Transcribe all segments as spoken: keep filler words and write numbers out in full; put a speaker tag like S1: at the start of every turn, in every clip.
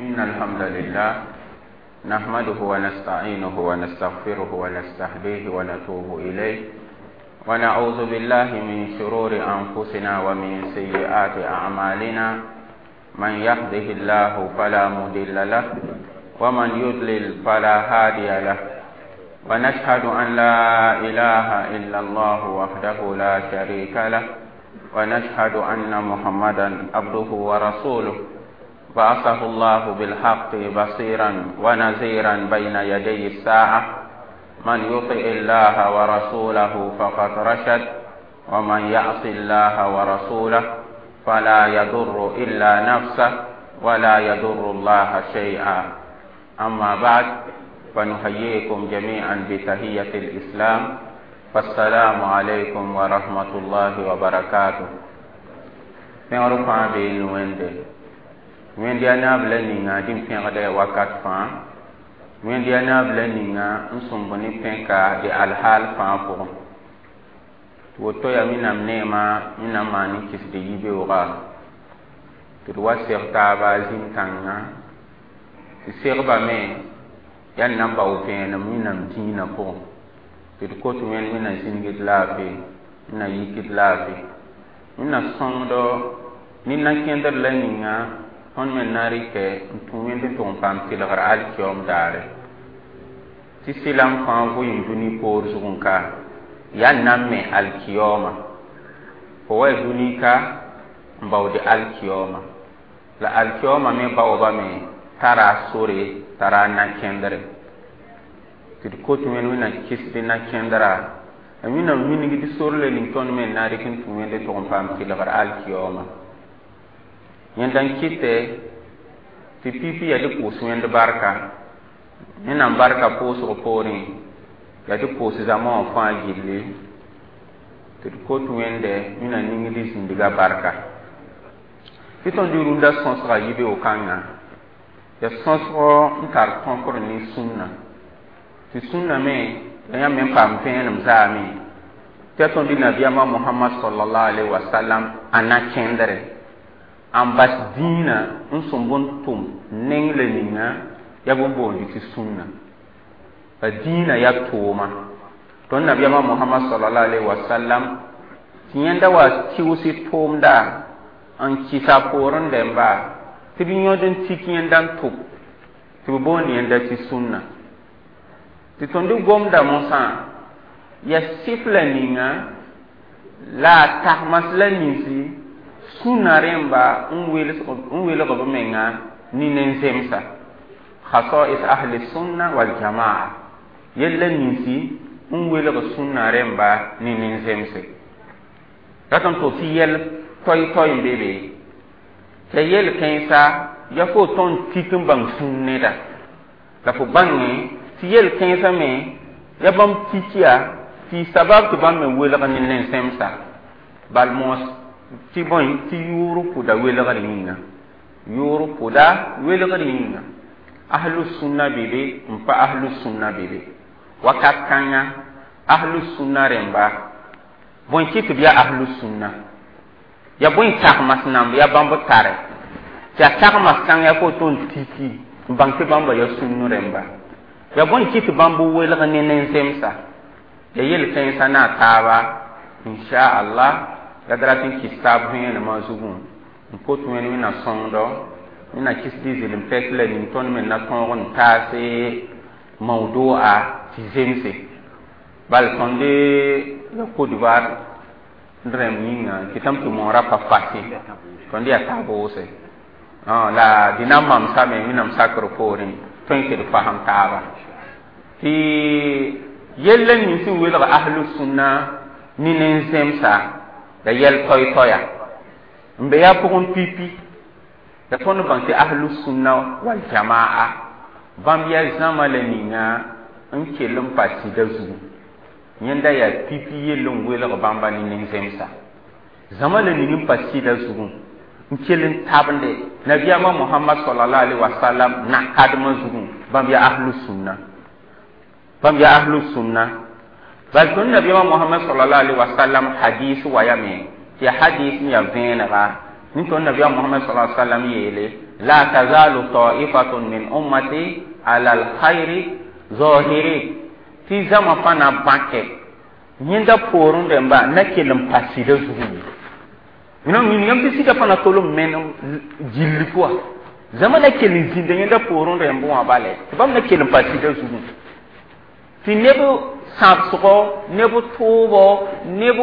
S1: إن الحمد لله نحمده ونستعينه ونستغفره ونستهديه ونتوب إليه ونعوذ بالله من شرور أنفسنا ومن سيئات أعمالنا من يهده الله فلا مضل له ومن يضلل فلا هادي له ونشهد أن لا إله إلا الله وحده لا شريك له ونشهد أن محمدا عبده ورسوله بعثه الله بالحق بصيرا ونذيرا بين يدي الساعة من يطع الله ورسوله فقد رشد ومن يعص الله ورسوله فلا يضر إلا نفسه ولا يضر الله شيئا أما بعد فنحييكم جميعا بتحية الإسلام فالسلام عليكم ورحمة الله وبركاته pẽgr fãa bee wẽnde wẽnd yaa naab la ninga dĩm pẽgda ya wakat fãa wẽnd yaa naab la ninga n sõmb ne pẽka dɩ alhaal fãa pʋgẽ tɩ woto yaa wẽnnaam neema wẽnnaam maan n kɩsd yibeooga tɩ d wa seg taaba zĩm-kãngã tɩ segbame yaa n na n bao vẽenem wẽnnaam dĩinã pʋgẽ tɩ d kot wẽnd wẽnnaam zĩnigd laafɩ wẽnnaam yikd laafɩ wẽnnaam sõngdo ne na-kẽndr la ninga tõnd me na rɩkɛ n tũ wẽnd n tʋg n paam tɩlgr alkiyoom daare tɩ sɩlam fãa vʋɩɩm dũni poor zugẽ ka yaa n na n me alkiyooma fo wa dũni ka n baood alkiyooma la alkiyooma me baoobame tara sore tara na-kẽndre tɩ d kot wẽnd wẽnnaam kɩsd na-kẽndra la wẽnnaam wilgd sor le ning tõnd me n na rɩk n tũ wẽnd n tʋg n paam tɩlgr alkiyooma yẽnda n kɩtɛ tɩ pipi yaa dɩ pʋʋs wẽnd barka wẽnnaam barka pʋʋsg poorẽ yaa dɩ pʋʋs zãma wã fãa gilli tɩ d kot wẽnde wẽnnaam ningd zĩndga barka tɩ tõnd rũndã sõsga yibeoog-kãngã yaa sõsg n tar tõkr ne sũnna tɩ sũnna me la yãmb me n paam vẽenem zaame tɩ yaa tõnd nabiyaamã mohamad sallallahu alaihi wasallam a na-kẽndre n bas dĩinã n sõmb n tʋm neng la ninga yaa bõn boond tɩ sũnna la dĩinã yaa tʋʋma tõnd nabiyaamã mohamad sallallahu alaihi wasallam tɩ yẽnda wa tɩʋsɩ tʋʋmda n kɩsa poorẽ dẽmba tɩ b yõd n tik yẽnda n tʋb tɩ b boond yẽnda tɩ sũnna tɩ tõnd gomda mosã yaa sɩf la ninga la a tagmas la ninsi sũnna rẽmba n welg b menga ne nen-zemsa khasais ahli sunna wal jamaa yella ninsi n welg sũnna rẽmba ne nen-zemse rat n to tɩ yɛl toy-toy n be be tɩ yel kãensa ya fo tõnd tik n bãng sũn neda la fo bãnge tɩ yel kãensã me ya bãmb tik yaa tɩ sabab tɩ bãmb me welg ne nen-zemsa bal moos tɩ bõe tɩ yʋʋr pʋda welgr yĩnga yʋʋr pʋda welgr yĩnga ahlu sunna be be n pa ahlu sunna be be wakat kãnga ahlu sunna rẽmba bõe kɩ tɩ b yaa ahlu sunna ya bõe tagmas namb ya bãmb tare tɩ yaa tagmas kãng yaa fo tõnd tiki n bãng tɩ bãmba yaa sũnn rẽmba ya bõe kɩ tɩ bãmb welg ne nen-zemsa ya yel-kãensã na a taaba inchallah la d rat n kɩs taab vẽenemã zugẽ n kot wẽnd wẽnna sõngdo wẽnna kɩsd zɩlem pɛs la ning tõnd me na tõog n taase mawdoa tɩ zemse bal tõnd ya Côte d'Ivoire rẽmb yĩnga kɩtame tɩ moorã pa facile tõnd yaa taab wʋse la dĩ na n mamsame wẽnnaam sakr poorẽ tõe tɩ d fasem taaba tɩ yell n ning sẽn welg ahlu sũnna ne nen-zemsa la yɛl toy-toya n be yaa pʋgẽ pipi la tõnd bãng tɩ ahlu sũnna wal jamaa bãmb yaa zãma la ninga n kell n pa sɩda zugu yẽnda yaa pipi yell n welg bãmba ne nin-zemsa zãma la ning n pa sɩda zugu n kell n tabende nabiyaamã mohamad sallallahu alaihi wasallam na-kadmã zugu bãmb yaa ahlu sũnna bãmb yaa ahlu sũnna bal tõnd nabiyaamã mohamad sallallahu alaihi wasallam hadis wayame tɩ yaa hadis n yaa vẽenega Ni tõnd nabiyaam Mohamad sala sallam yeele la tazalu taifatun min ummati ala alkhairi zahiri tɩ zãma fãa na bãke yẽnda poorẽ rẽmba na kell n pa sɩda zugu ye. Mina wilgame tɩ sɩda fãa na tol n menem gilli pʋga zãma na kell n zĩnda yẽnda poorẽ rẽmb wã bale tɩ bãmb na kell n pa sɩda zugu tɩ neb sãbsgɔ neb tʋʋbɔ neb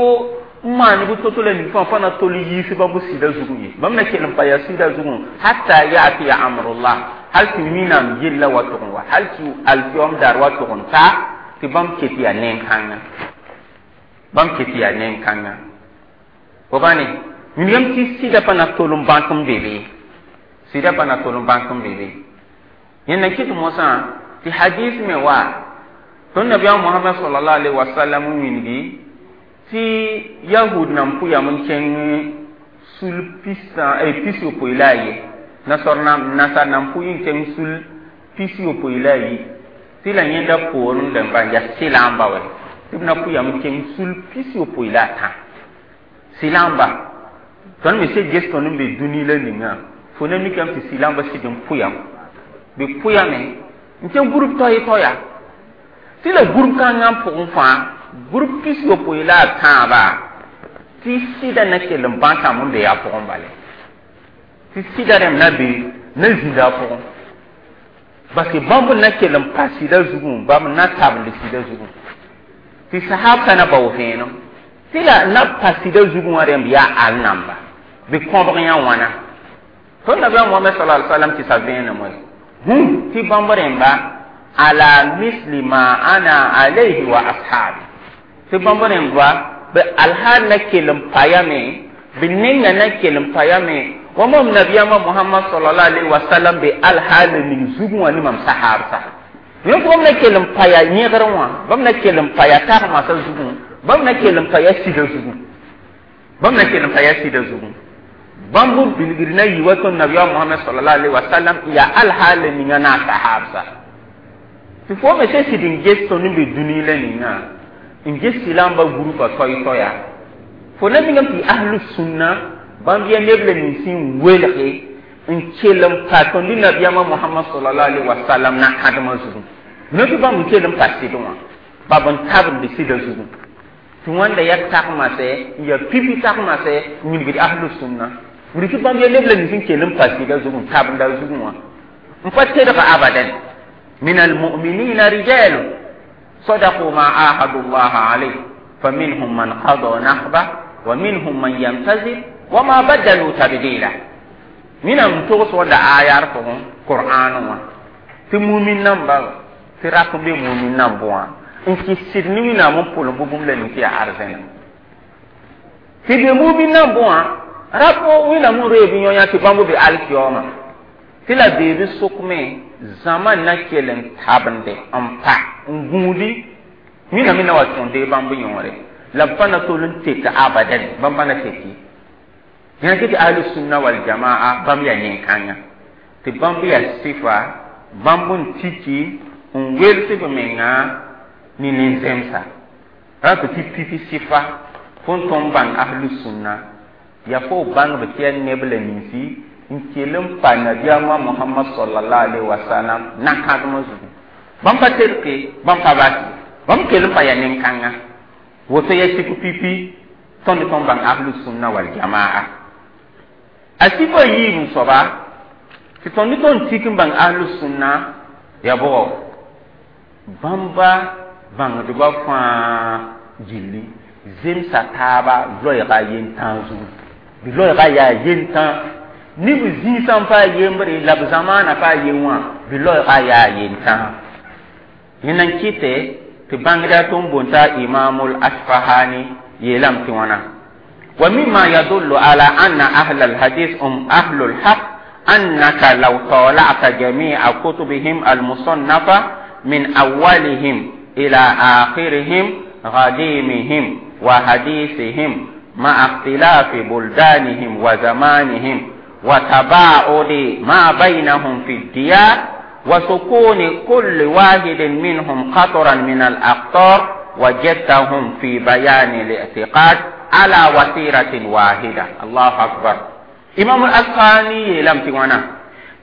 S1: n maan b to-to la ning fãa fãa na tol n yiis bãmb sɩda zugu ye bãmb na kell n pa yaa sɩda zugu hatta yatiya amrullah hal tɩ wĩnnaam yella wa tʋg n wa hal tɩ alkiyom daar wa tʋg n ta tɩ bãmb ket yaa nen-kãnga bãmb ket yaa nen-kãnga fo bãne wilgame tɩ sɩda pa na tol n bãk n be be sɩda pa na tol n bãk n be be yẽnda kɩt mosã tɩ hadis me wa tõnd nabiyaam Mohamad sallallahu alaihi wasallam n wilgi tɩ yahud nan pʋyam n kẽng sul pis pis yopoe la a ye nasar nasar nan pʋy n kẽng sul pis yopoe la a yi tɩ la yẽnda poorẽ rẽmba n yaa sɩlãmba wɛ tɩ b na pʋyam n kẽng sul pis yopoe la a tã sɩlãmba tõnd me se ges tõnd n be dũni la ninga fo na mikame tɩ sɩlãmba sɩd n pʋyam bɩ pʋyame n kẽng group toay toaya tɩ la group kãngã pʋgẽ fãa group pis yopoe la a tãaba tɩ sɩda na kell n bãkame n be a pʋgẽ bale tɩ sɩda rẽmb na be na zĩnda a pʋgẽ parce que bãmb n na kell n pa sɩda zugẽ bãmb na tabend sɩda zugẽ tɩ sahabsã na bao vẽenem tɩ la na pa sɩda zugẽ wã rẽmb yaa al namba bɩ kõbg yã wãna tõnd nabiyaam Mohamad sallallahu alaihi wasallam tɩ sa vẽenem wɛ hum tɩ bãmb rẽmba ala misli ma ana alayhi wa ashabi tɩ bãmb rẽmba bɩ alhaal na kell n pa yame bɩ nenga na kell n pa yame wa mam nabiyaamã Mohamad sallallahu alaihi wasallam be alhaal ning zugẽ wã ne mam sahabsa yẽ bãmb na kell n pa ya yẽgr wã bãmb na kell n pa ya tagmasa zugẽ bãmb na kell n pa ya sɩda zugẽ bãmb na kell n pa ya sɩda zugẽ bãmb bilgr na yɩ wa tõnd nabiyaam Mohamad sallallahu alaihi wasallam yaa alhaal ninga na a sahabsa tɩ fo me sẽn sɩd n ges tõnd n be dũni la ninga n ges sɩlãmba grupa toay-toaya fo na mingame tɩ ahlu sũnna bãmb yaa neb la nins n welge n kell n pa tõnd nabiyaamã Mohamad sallallahu alaihi wasallam na kãdemã zugẽ no tɩ bãmb n kell n pa sɩd wã bab n tabend sɩda zugẽ tɩ wãnda yaa tagmasɛ n yaa pipi tagmasɛ n wilgd ahlu sũnna wilg tɩ bãmb yaa neb la nins n kell n pa sɩda zugẽ n tabenda zugẽ wã n pa tedg abadan من المؤمنين رجال صدقوا ما عاهدوا الله عليه فمنهم من قضى نحبه ومنهم من ينتظر وما بدلوا تبديلا من أن تغسوا آيات قرآن tɩ mumin namba tɩ rak n be mumin namb wã n kɩs sɩd ne wẽnnaam n pʋlem bʋ bũmb la ning tɩ yaa arzẽna tɩ be mumin namb wã rap wẽnnaam n reeb yõ yã tɩ bãmb be alkiyoomã tɩ la beeb sʋkme zãma na kell n tabende n pa n gũudi wẽnnaam na wa tõnd bãmb yõore la b pa na tol n tek abadan bãmb pa na teki yã tɩ ahlu sunna wal jamaa bãmb yaa nen-kãnga tɩ bãmb yaa sɩfa bãmb n tiki n wels b menga ne nin-zemsa ra tɩ tɩ pipi sɩfa fõn tõnd bãng ahlu sunna yaa fo bãngb tɩ yaa neb la ninsi n kell n pa nabiyaamã Mohamad sallallahu alaihi wasallam na-kãdemã zugu bãmb pa terke bãmb pa bas bãmb kell n pa yaa nen-kãnga woto yaa sɩk pipi tõnd tõnd bãng ahlu sunna wal jamaa a sɩfa yiib n soaba tɩ tõnd tõnd tik n bãng ahlu sunna yaa bʋgɔ bãmba bãngdbã fãa gilli zemsa taaba loɛɛga yentãag zugu bɩ loɛɛga yaa yentãag ne b zĩisã n pa a yembre la b zamaana pa a yen wã bɩ loɛɛga yaa yentãag yẽna n kɩtɛ tɩ bãngda tɩ n boonta imamul asfahani yeelame tɩ wãna wa mima yadullu ala anna ahla alhadis hum ahlu lhaq annaka law tala'ta jami'a kutubihim almusannafa min awalihim ila akhirihim غديمهم وحديثهم مع اختلاف بلدانهم وزمانهم وتباعد ما بينهم في الديار وسكون كل واحد منهم قطرا من الأقطار وجدتهم في بيان الاعتقاد على وتيرة واحدة. الله أكبر. Imam al-Asqani yeelame tɩ wãna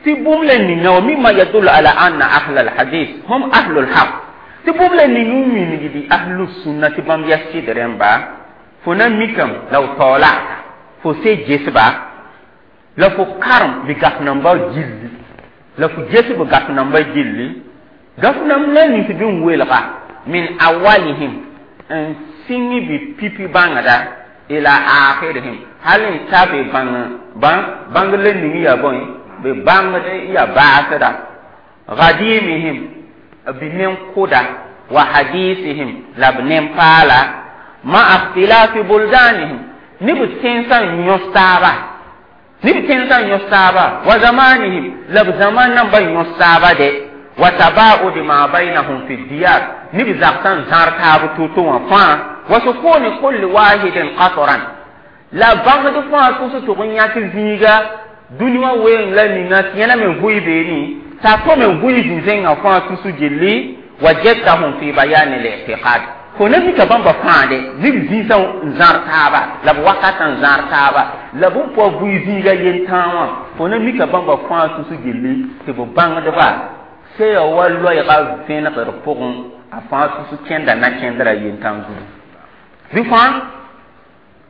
S1: tɩ bũmb la ninga wa mimma yadullu ala anna ahla alhadis hum ahlu lhaq tɩ bũmb la ning n wilgdi ahlu sunna tɩ bãmb yaa sɩd rẽmba fo na mikame la f taoolata fo se gesba la fo karem bɩ gaf namba gilli la fo ges b gaf namba gilli gaf namb la nins bɩ n welga min awalihim n sɩng bɩ pipi bãngda ila akhirihim hal n ta bɩ bãng bãng la ning yaa bõe bɩ bãngd yaa baasda gadimihim bɩ nen-kʋda wa hadisihim la b nen-paala ma ikhtilafi buldanihim ne b tẽnsã n yõs taaba ne b tẽnsã n yõs taaba wa zamanihim la b zaman namba n yõs taaba de wa tabaudi ma bainahum fi diyar ne b zagsã n zãr taab to-to wã fãa wa sukuni kulli wahidin qatran la bãngd fãa tʋs tʋg n yãk zĩiga dũni wã weeng la ninga tɩ yẽna me vʋɩ beene t'a to me vʋɩ zĩ-zẽngã fãa tus gilli wajadtahum fi bayani l-i'tiqad fo na mika bãmba fãa de ne b zĩisã n zãr taaba la b wakatã n zãr taaba la b n pʋa vʋɩ zĩiga yentãag wã fo na mika bãmba fãa tus gilli tɩ b bãngdba se ya wa loɛɛga vẽnegr pʋgẽ a fãa tus kẽnda na kẽndra yentãag zugu bɩ fãa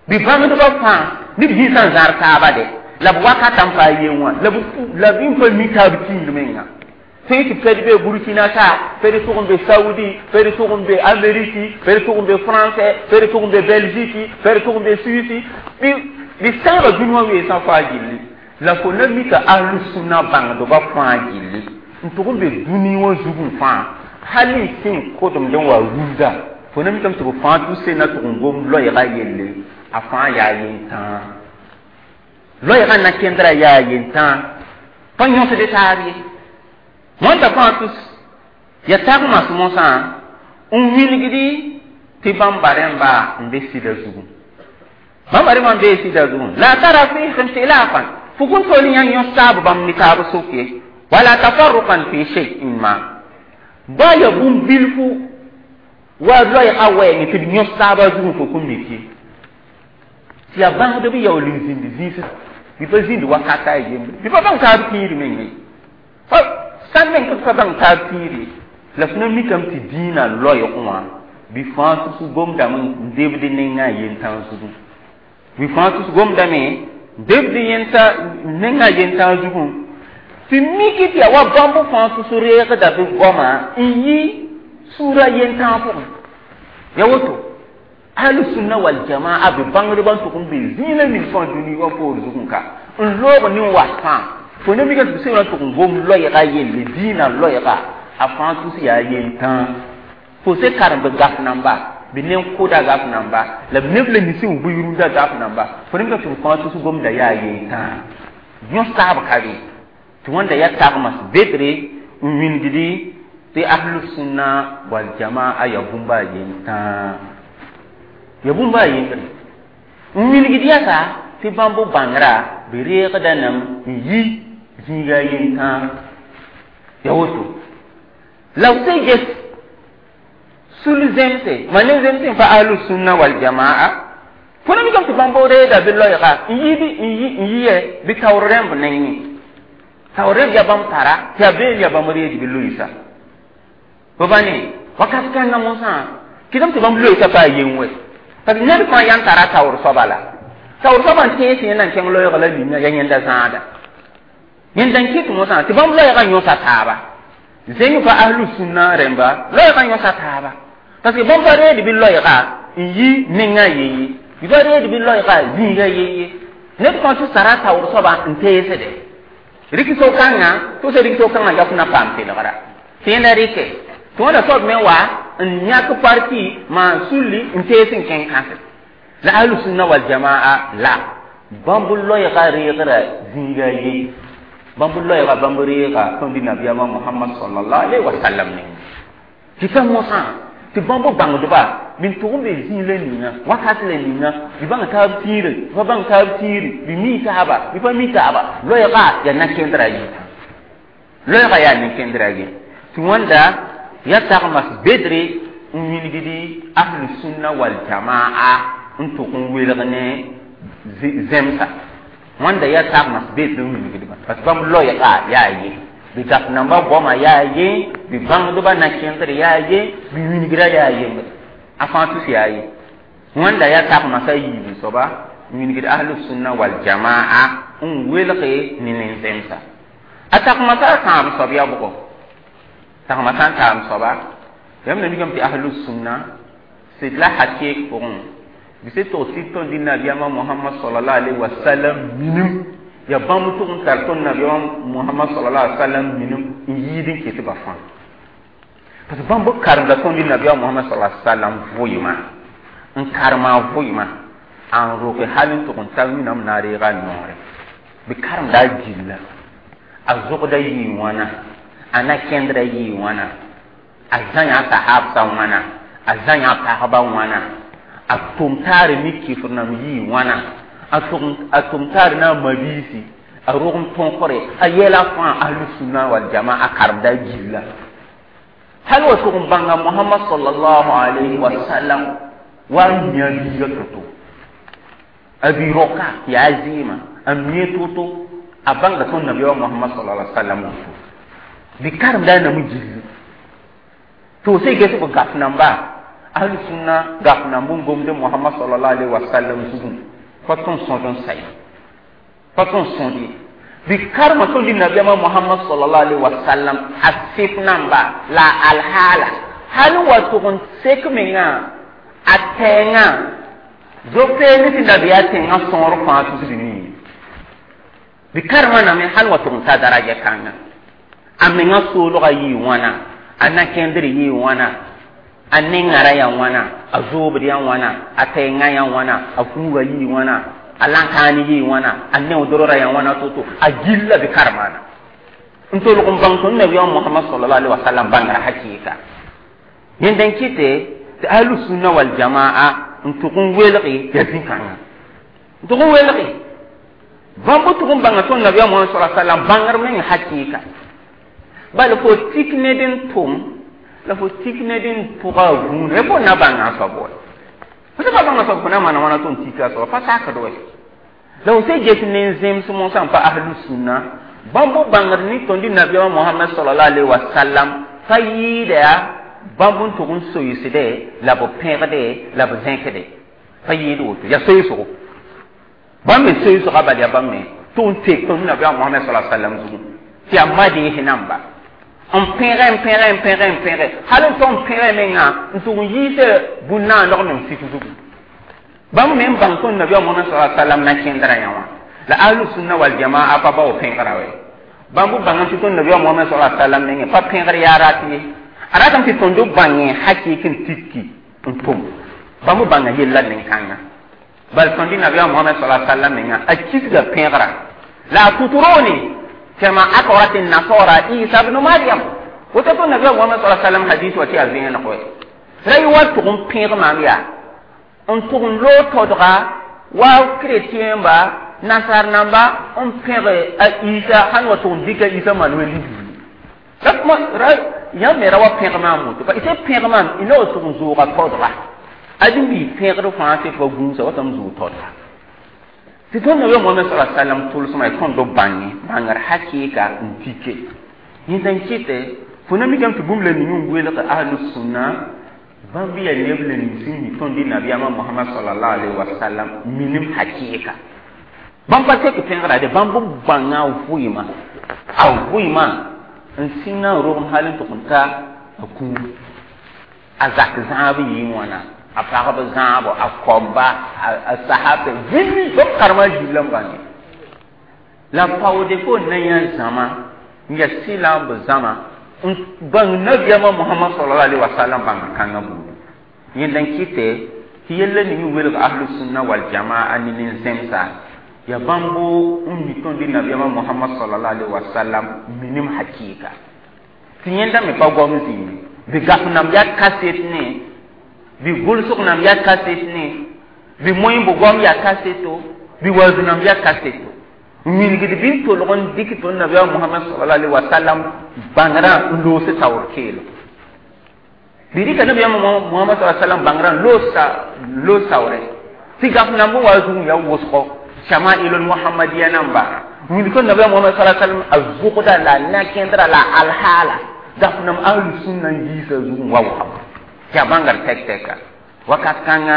S1: bɩ bãngdbã fãa ne b zĩisã n zãr taaba de la b wakatã n paa yen wã la b la b n pa mi taab tĩir menga tõe tɩ pɛd be Burkina ka pɛd tʋg n be Saoudi pɛd tʋg n be Amériki pɛd tʋg n be Français pɛd tʋg n be Belgique pɛd tʋg n be Suisse bɩ bɩ sãaba dũni wã weesã fãa gilli la fo na mika ahlu sũnna bãngdbã fãa gilli n tʋg n be dũni wã zugẽ fãa hal n sẽn kodemd n wa rũndã fo na mikame tɩ b fãa tʋse na tʋg n gom loɛɛga yelle a fãa yaa yentãag loɛɛgã na kẽndrã yaa yentãag pa yõsd taab ye wãnda fãa tʋs ya tagmas mosã n wilgdi tɩ bãmba rẽmba n be sɩda zugu bãmba rẽmba n bee sɩda zugu la tara fihim khilafan fo kõn tol yã yõs taab bãmb ne taab sʋk ye wala tafarruqan fi shay'in ma ba ya bũmb bilfu wa loɛɛga wɛɛngẽ tɩ b yõs taabã zugẽ fo kõn mik ye tɩ yaa bãngdb yaool n zĩnd zĩis bɩ pa zĩnd wakata a yembre bɩ pa bãng taab tĩiri meng ye sãn meng tɩ pa bãng taab tĩiri la f na mikame tɩ dĩinã loɛɛg wã bɩ fãa tus gomdame n debd nengã yentãag zugu bɩ fãa tus gomdame n debd yẽnta nengã yentãag zugu tɩ miki tɩ yaa wa bãmb fãa tus reegda bɩ goama n yi sũurã yentãag pʋgẽ ya woto ahlu sunna wal jamaa bɩ bãngdbã n tʋg n be zĩig ning fãa dũni wã poor zugẽ ka n loog nin was fãa fo na mika tɩ b sẽn tʋg n gom loɛɛga yelle dĩinã loɛɛga a fãa tus yaa yentãag fo se karem bɩ gaf namba bɩ nen-kʋda gaf namba la b neb la ning sẽn bʋɩ rũndã gaf namba fo na mika tɩ b fãa tus gomda yaa yentãag yõs taab ka be tɩ wãnda yaa tagmas bedre n wĩnddi tɩ ahlu sunna wal jamaa yaa bũmba a yentãag ya bũmba a yembre n wilgd yasa tɩ bãmb bãngrã bɩ reegda nam n yi zĩiga yentãag ya woto la b se ges sul zemse ma ne zemse n pa ahlu sunna wal jamaa fo na mikame tɩ bãmb reeda bɩ loɛɛga n yi n yi n yɩ bɩ taoor rẽmb nengẽ taoor rẽmb yaa bãmb tara tɩ yaa been yaa bãmb reed bɩ loɩsa bɩ ba ne wakat kãngã mosã kɩdame tɩ bãmb loɩsa pa a yen wɛ parce que ned fãa yãn tara taoor soaba la taoor soaba n tẽes yẽ na n kẽng loɛɛg la ninga yaa yẽnda zãada yẽnda n kɩt mosã tɩ bãmb loɛɛgã yõsa taaba zẽng pa ahlu sũnna rẽmba loɛɛgã yõsa taaba parce que bãmb pa reed bɩ loɛɛga n yi nengã yeye bɩ pa reed bɩ loɛɛga zĩiga yeye ned fãa tɩ sara taoor soaba n teesde rɩk so-kãngã tʋ se rɩk so-kãngã ya fo na paam kelgra tɩ yẽnda rɩke tɩ wãna soab me wa n yãk parti maan sulli n tees n kẽng kãse la ahlu sunna wal jamaa la bãmb loɛɛga reegrã zĩiga ye bãmb loɛɛga bãmb reega tõnd nabiyaamã Mohamad sallallahu alaihi wa sallam ne tɩ pa mosã tɩ bãmb bãngdba bɩ n tʋg n be zĩig la ninga wakat la ninga bɩ bãng taab tĩire bɩ pa bãng taab tĩiri bɩ mi taaba bɩ pa mi taaba loɛɛga yaa na-kẽndrã yɩta loɛɛga yaa nin-kẽndrã ye tɩ wãnda ya tagmas bedre n wilgdi ahlu sunna wal jamaa n tʋg n welg ne zemsa Wẽnda yaa tagmas beet n wilgdba parce que bãmb loɛɛga yaa ye bɩ gaf nambã goamã yaa ye bɩ bãngdbã na kẽndr yaa ye bɩ wilgra yaa yembre a fãa tus yaa ye wẽnda yaa tagmasa a yiib soaba n wilgd ahlusunna waljamaa n welge ne nin-zẽmsa a tagmasa a tãab soab yaa bʋgɔ tagmasã n taam soaba yãmb na mikame tɩ ahlusunna sɩd la hakɩɩk pʋgẽ bɩ se tog tɩ tõnd dɩ nabiyaamã Mohamad sallallahu alaihi wasallam minim ya bãmb tʋg n tar tõnd nabiyaamã Mohamad sallallahu alaihi wasallam minim n yiid n ket ba fãa parce que bãmb karemda tõnd dɩ nabiyaamã Mohamad sallallahu alaihi wasallam vʋɩɩmã n karema a vʋɩɩmã n roke hal n tʋg n ta wĩnam na n reega noore bɩ karemda a gilla a zogda yɩɩ wãna a na kẽndra yɩɩ wãna a zã yã sahabsã wãna a zã yã pagba wãna a tʋm taare ne kifr nam yɩɩ wãna a tʋm taare na a mabiisi a rog n tõkre a yɛla fãa ahlusunna waljamaa a karemda a gilla hal wa tʋg n bãnga Mohamad sallallahu alayhi wa sallam wa n mi a biiga to-to a bi roka yaa zɩɩmã a mie to-to a bãnga tõnd nabiya Mohamad sallallahu alaihi wa sallam woto bɩ karemda a nam gilli to sai ges b gaf namba ahlusunna gaf namb n gomde Mohamad sallallahu alaihi wa sallam zugẽ pa tõnd sõd n sa ye pa tõnd sõd ye bɩ karema tõnd dɩ nabiyaamã Mohamad sallallahu alaihi wa sallam a sɩf namba la alhaala hal wa tʋg n sek mengã a tɛɛngã zo-peelẽ tɩ nabiyaa tẽngã sõor fãa tusd nii bɩ karemã name hal wa tʋg n ta daraja kãnga a mengã soolgã yɩɩ wãna a na-kẽndr yɩɩ wãna a nengãra yaa wãna a zoobd yaa wãna a tɛɛngã yaa wãna a fuuga yɩɩ wãna a lãnkãan yɩɩ wãna a neoodrã yaa wãna to-to a gilla bɩ karemaana n tolg n bãng tõnd nabiyaam Mohamad sallallahu alaihi wa sallam bãngrã hakɩɩka yẽnd n kɩte tɩ ahlusunna waljamaa n tʋg n welge yaa zĩ-kãngã n tʋg n welge bãmb tʋg n bãnga tõnd nabiyaam Mohamad sallallahu alaihi wa sallam bãngr meng hakɩɩka bala fo tik ned n tʋm la fo tik ned n pʋga a gũudã fo na bãnga a soab wa fo sã pa bãnga soab fo na maana wãna tɩ n tika a soaba pa sakd wɛ la fo sẽn ges ne zems mosã n pa ahlusunna bãmb bãngd ne tõnd nabiyaamã Mohamad sallallahu alaihi wa sallam pa yɩɩda yaa bãmb n tʋg n soeesde la b pẽgde la b zẽkde pa yɩɩd woto yaa soeesgo bãmb me soeesgã bal yaa bãmb me tʋg n tek tõnd nabiyaamã Mohamad sallallahu alaihi wa sallam zugu tɩ yaa madees namba n pẽge n pẽge n pẽge n pẽge hal n tog n pẽge mengã n tʋg n yiisa bũn-naandg meng sik zugu bãmb me n bãng tõnd nabiyaam Mohamad sallallahu alaihi wa sallam na kẽndrã yã wã la ahlusunna waljamaa pa bao pẽgra wɛ bãmb bãngame tɩ tõnd nabiyaam Mohamad sallallahu alaihi wa sallam mengẽ pa pẽgr yaa rat ye a ratame tɩ tõnd bãngẽ hakɩɩk n tikki n tʋm bãmb bãnga yella nin-kãngã bal tõnd nabiyaam Mohamad sallallahu alaihi wa sallam mengã a kisga pẽgra la a tutrone كما أقرت النصارى عيسى بن مريم وتكون النبي محمد صلى الله عليه وسلم حديث وتي أزين نقول رأي واتقوم بيغ ماميا ان تقوم لو تدغى واو كريتين با نصار نمبا ان بيغ عيسى هن وتقوم ديك عيسى مانويل رأي رأي يا ميرا وا بيغ مامو تبا إذا بيغ مام إنه تقوم زوغا تدغى أدم بي بيغ رو فانسي فغونسا وتم زو تدغى tɩ tõnd nabiyaam Mohamad sallallahu alaihi wa sallam tʋlsmã y tõnd b bãnge bãngr hakɩɩka n tike yẽnd n kɩtɛ fo na mikame tɩ bũmb la ning n welg ahlusunna bãmb yaa neb la ning sẽn mi tõnd nabiyaamã Mohamad sallallahu alaihi wa sallam minim hakɩɩka bãmb pa tek pẽgra de bãmb bãnga a vʋɩɩmã a vʋɩɩmã n sĩnga n rogem hal n tʋg n ta a kũum a zak zãab yɩɩ wãna a pagb zãabo a koamba a sahabɛ vĩnni bãmb karema gilla n bãnge la paoode fo na yã zãma n ya sɩla n b zãma n bãng nabiyaamã Mohamad sallallahu alaihi wa sallam bãng kãngã buudu yẽnd n kɩtɛ tɩ yella ning n welg ahlusunna waljamaa ne nin-zẽmsa yaa bãmbo n mi tõnd nabiyaamã Mohamad sallallahu alaihi wa sallam minim hakɩɩka tɩ yẽnda me pa goam zĩime bɩ gaf nam yaa kaset ne bɩ gʋlsg nam yaa kaset ne bɩ moẽmb goam yaa kaseto bɩ waood nam yaa kaseto n wilgd bɩ n tolg n dɩk tõnd nabiyaam Mohamad sallallahu alaihi wa sallam bãngrã n loos taoor keelo bɩ rɩka nabiyaam Mohamad sallallahu alaihi wa sallam bãngrã n loos loos taoore tɩ gaf namb wa zugẽ yaa wʋsgo Shama'ilul Muhammadiya namba wilg nabiya Muhammad sallallahu alaihi wasallam a zʋgda la na-kẽndra la alhaala daf nam ahlu sunna n yiisa zug n wa wʋsg tɩ a bãngr tɛk-tɛka wakat kãnga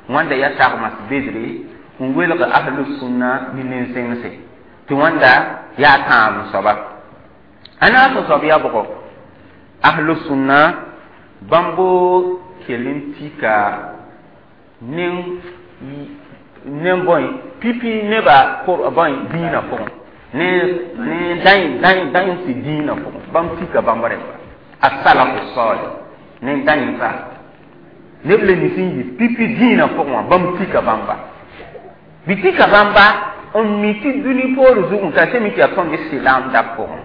S1: wãnda yaa tagmas bedre n welg ahlu sunna ne nen-sẽngse tɩ wãnda yaa tãab n soaba a naas n soab yaa bʋgɔ ahlu sunna bãmbo kell n tika nen nen bõe pipi neba bõe dĩinã pʋgẽ ne ne dãy dãy dãy tɩ dĩinã pʋgẽ bãmb tika bãmb rẽmba asalafu salih ne dãyẽmsa neb le nins n yi pipi dĩinã pʋgẽ wã bãmb tika bãmba bɩ tika bãmba n mi tɩ dũni poor zugẽ ka sẽn mi tɩ yaa tõnd silaamda pʋgẽ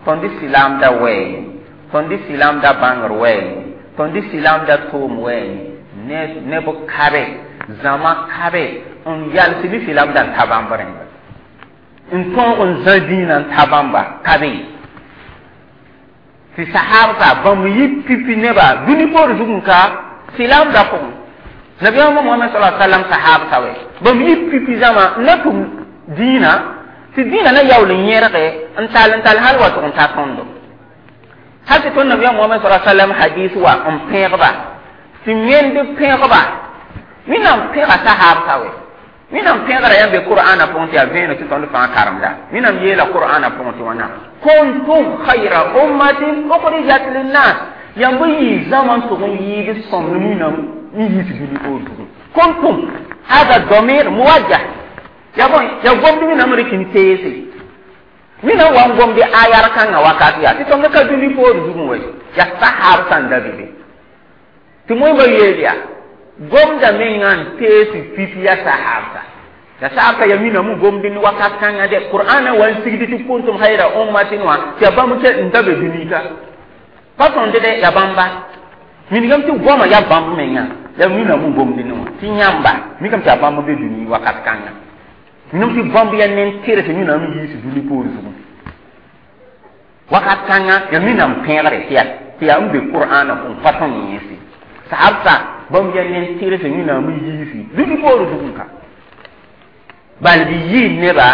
S1: tõnd silaamda wɛɛ tõnd silaamda bãngr wɛɛ tõnd silaamda toom wɛɛ neb kabe zãma kabe n yals bɩ silaamda n ta bãmb rẽmba n tõog n zã dĩinã n ta bãmba kabe tɩ sahabsa bãmb yi pipi neba dũni poor zugẽ ka silaamda pʋgẽ nabiyaamã Mohamad sala sallam sahabsa wɛ bãmb yi pipi zãma n na tʋm dĩinã tɩ dĩinã na yaool n yẽrge n tall n tall hal wa tʋg n ta tõndo hal tɩ tõnd nabiyaam Mohamad sala sallam hadis wa n pẽegba tɩ wẽnd pẽegba wẽnnaam pẽega sahabsa wɛ wẽnnaam pẽegra yãmb be qur'ana pʋgẽ tɩ yaa vẽeneg tɩ tõnd fãa karemda wẽnnaam yeela qur'ana pʋgẽ tɩ wãna kuntum khayra ummatin ukhrijat linnas yãmb yɩ zãma n tʋg n yɩɩd sõmd wẽnnaam n yiis dũni poor zugẽ kuntum hada domir muwajjah ya bõe ya gomd wẽnnaam rɩk n teese wẽnnaam wa n gomd ayar kãngã wakat yaa tɩ tõnd ka dũni poor zugẽ wɛ yaa sahab sãn da be be tɩ moẽmba yeel yaa gomda menga n tees pipi ya sahabsa ya sahabsa ya mina mu gomdi ni wakat kãngã de qur'ana wa n sigdi tɩ kuntum khayra ummatin wã tɩ ya bãmb tɩ n da be dũni ka pa tõnd de ya bãmba minigame tɩ goama ya bãmb menga ya mina mu gomdi ne wã tɩ yãmba mikame tɩ ya bãmb be dũni wakat kãngã miname tɩ bãmb ya nen tɩrs wẽnnaam yiis dũni poor zugẽ wakat kãngã ya minam pẽegre tɩ ya tɩ yaa n be qur'ana pʋgẽ pa tõnd yẽese sahabsa bãmb ya nen tɩrs wẽnnaam yiisi dũni poor zugẽ ka bal bɩ yɩ neba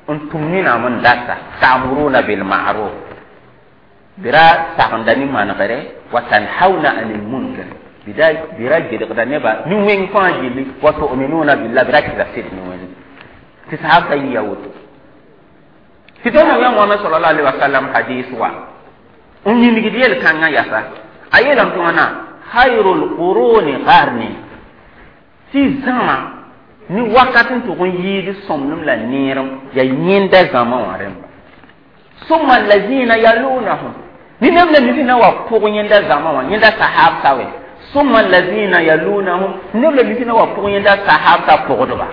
S1: n tʋm wẽnnaam n data ta'muruna bil ma'ruf bɩra sagenda ne manegre wa tanhauna anil munkar bɩra gedgda neba ne wẽng fãa gilli wa tu'minuna billah bɩra kɩsa sɩd ne wẽnd tɩ sahabsa yɩ woto tɩ tõnd nabiyaam Mohamad sallallahu alaihi wasallam hadis wa n yĩngd yel-kãngã yasa a yeelame tɩ wãna khayrul quruni qarni tɩ zãma ne wakat n tʋg n yɩɩd sõmnem la neerem yaa yẽnda zãma wã rẽmba summa allazina yalunahum ne neb la nisi na wa pʋg yẽnda zãma wã yẽnda sahabsa wɛ summa allazina yalunahum neb la nisi na wa pʋg yẽnda sahabsa pʋgdba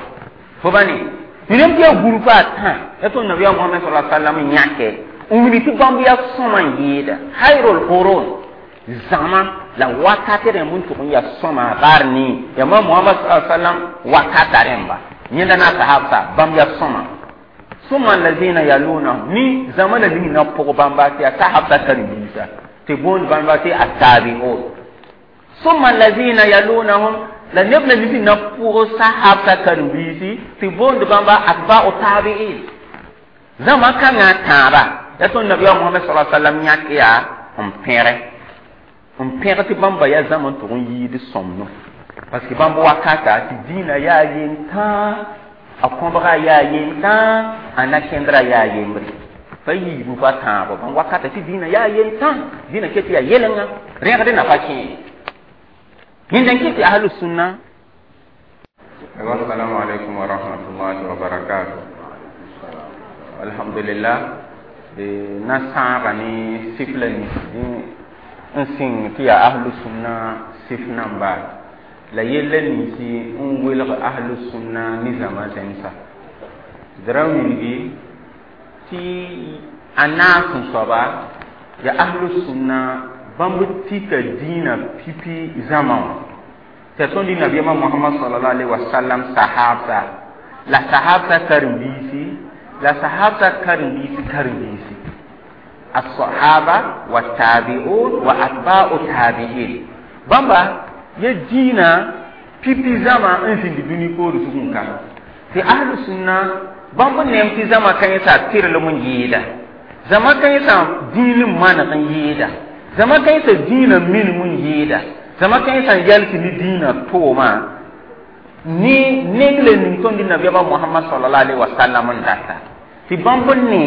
S1: fo ba ne neb tɩ yaa gũrpa a tã ya tõnd nabiyaam Mohamad sallallahu alaihi wasallam yãke n wilg tɩ bãmb yaa sõma n yɩɩda khayrul qurun zãma la wakat rẽmb n tʋg n yaa sõma qarni ya ma Muhammad sallallahu alaihi wasallam wakata rẽmba yẽnda na sahabsa bãmb yaa sõma summa allazina yalunahum ni zãma la ning na pʋg bãmba tɩ yaa sahabsa karen-biisa tɩ boond bãmba tɩ attabi'un summa allazina yalunahum la neb la nisi na pʋg sahabsa karen-biisi tɩ boond bãmba atba'u tabi'in zãma kãngã tãaba ya tõnd nabiyaam Muhammad sallallahu alaihi wasallam yãk yaa n pẽre n pẽg tɩ bãmba yaa zãma n tʋg n yɩɩd sõmno parce que bãmb wakata tɩ dĩinã yaa yentãa a kõbga yaa yentãa a na-kẽndrã yaa yembre pa yiibu pa tãabo bãmb wakata tɩ dĩinã yaa yentã dĩinã ket yaa yelenga rẽgd na pa kẽe yẽnda n kɩt tɩ ahlu sunna
S2: Assalamu alaikum wa rahmatullahi wa barakatuh.
S1: Alhamdulillah na sãaga ne sif la nins n sɩng tɩ yaa ahlu sunna sif namba la yella ninsi n welg ahlu sunna ne zãma zẽmsa d ra wilgi tɩ a naas n soaba yaa ahlu sunna bãmb tika dĩinã pipi zãma wã tɩ yaa tõnd nabiyaamã Mohamad sallallahu alaihi wasallam sahabsa la sahabsa karen-biisi la sahabsa karen-biisi karen-biisi الصحابة والتابعون وأتباع التابعين bãmba ya dĩinã pipi zãma n zĩnd dũni poor zugẽ ka Tɩ ahlu sũnna bãmb neem tɩ zãma kãensã tɩrlem n yɩɩda zãma kãensã dĩin n maneg n yɩɩda zãma kãensã dĩinã minim n yɩɩda zãma kãensã n yals ne dĩinã toomã ne neng la ning tõnd nabiyaamã Mohamad sallallahu alaihi wasallam n data tɩ bãmb ne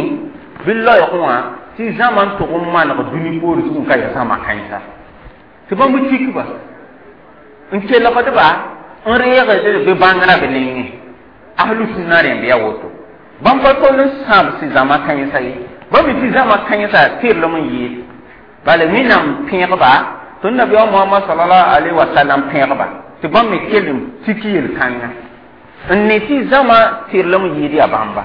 S1: bɩ loɛɛg wã tɩ zãma n tʋg n maneg dũni poor zug n ka yaa zãma kãensa tɩ bãmb tikba n kelgdba n reegd bɩ bãngrã b nengẽ ahlu sũnna rẽmb yaa woto bãmb pa tol n sãbs zãma kãensa ye bãmb mi tɩ zãma kãensã tɩrlem n yɩɩd bala wẽnnaam pẽegba tõnd nabiyaam Mohamad sallallahu alaihi wasallam pẽegba tɩ bãmb me kell n tik yel-kãnga n ne tɩ zãma tɩrlem n yɩɩd yaa bãmba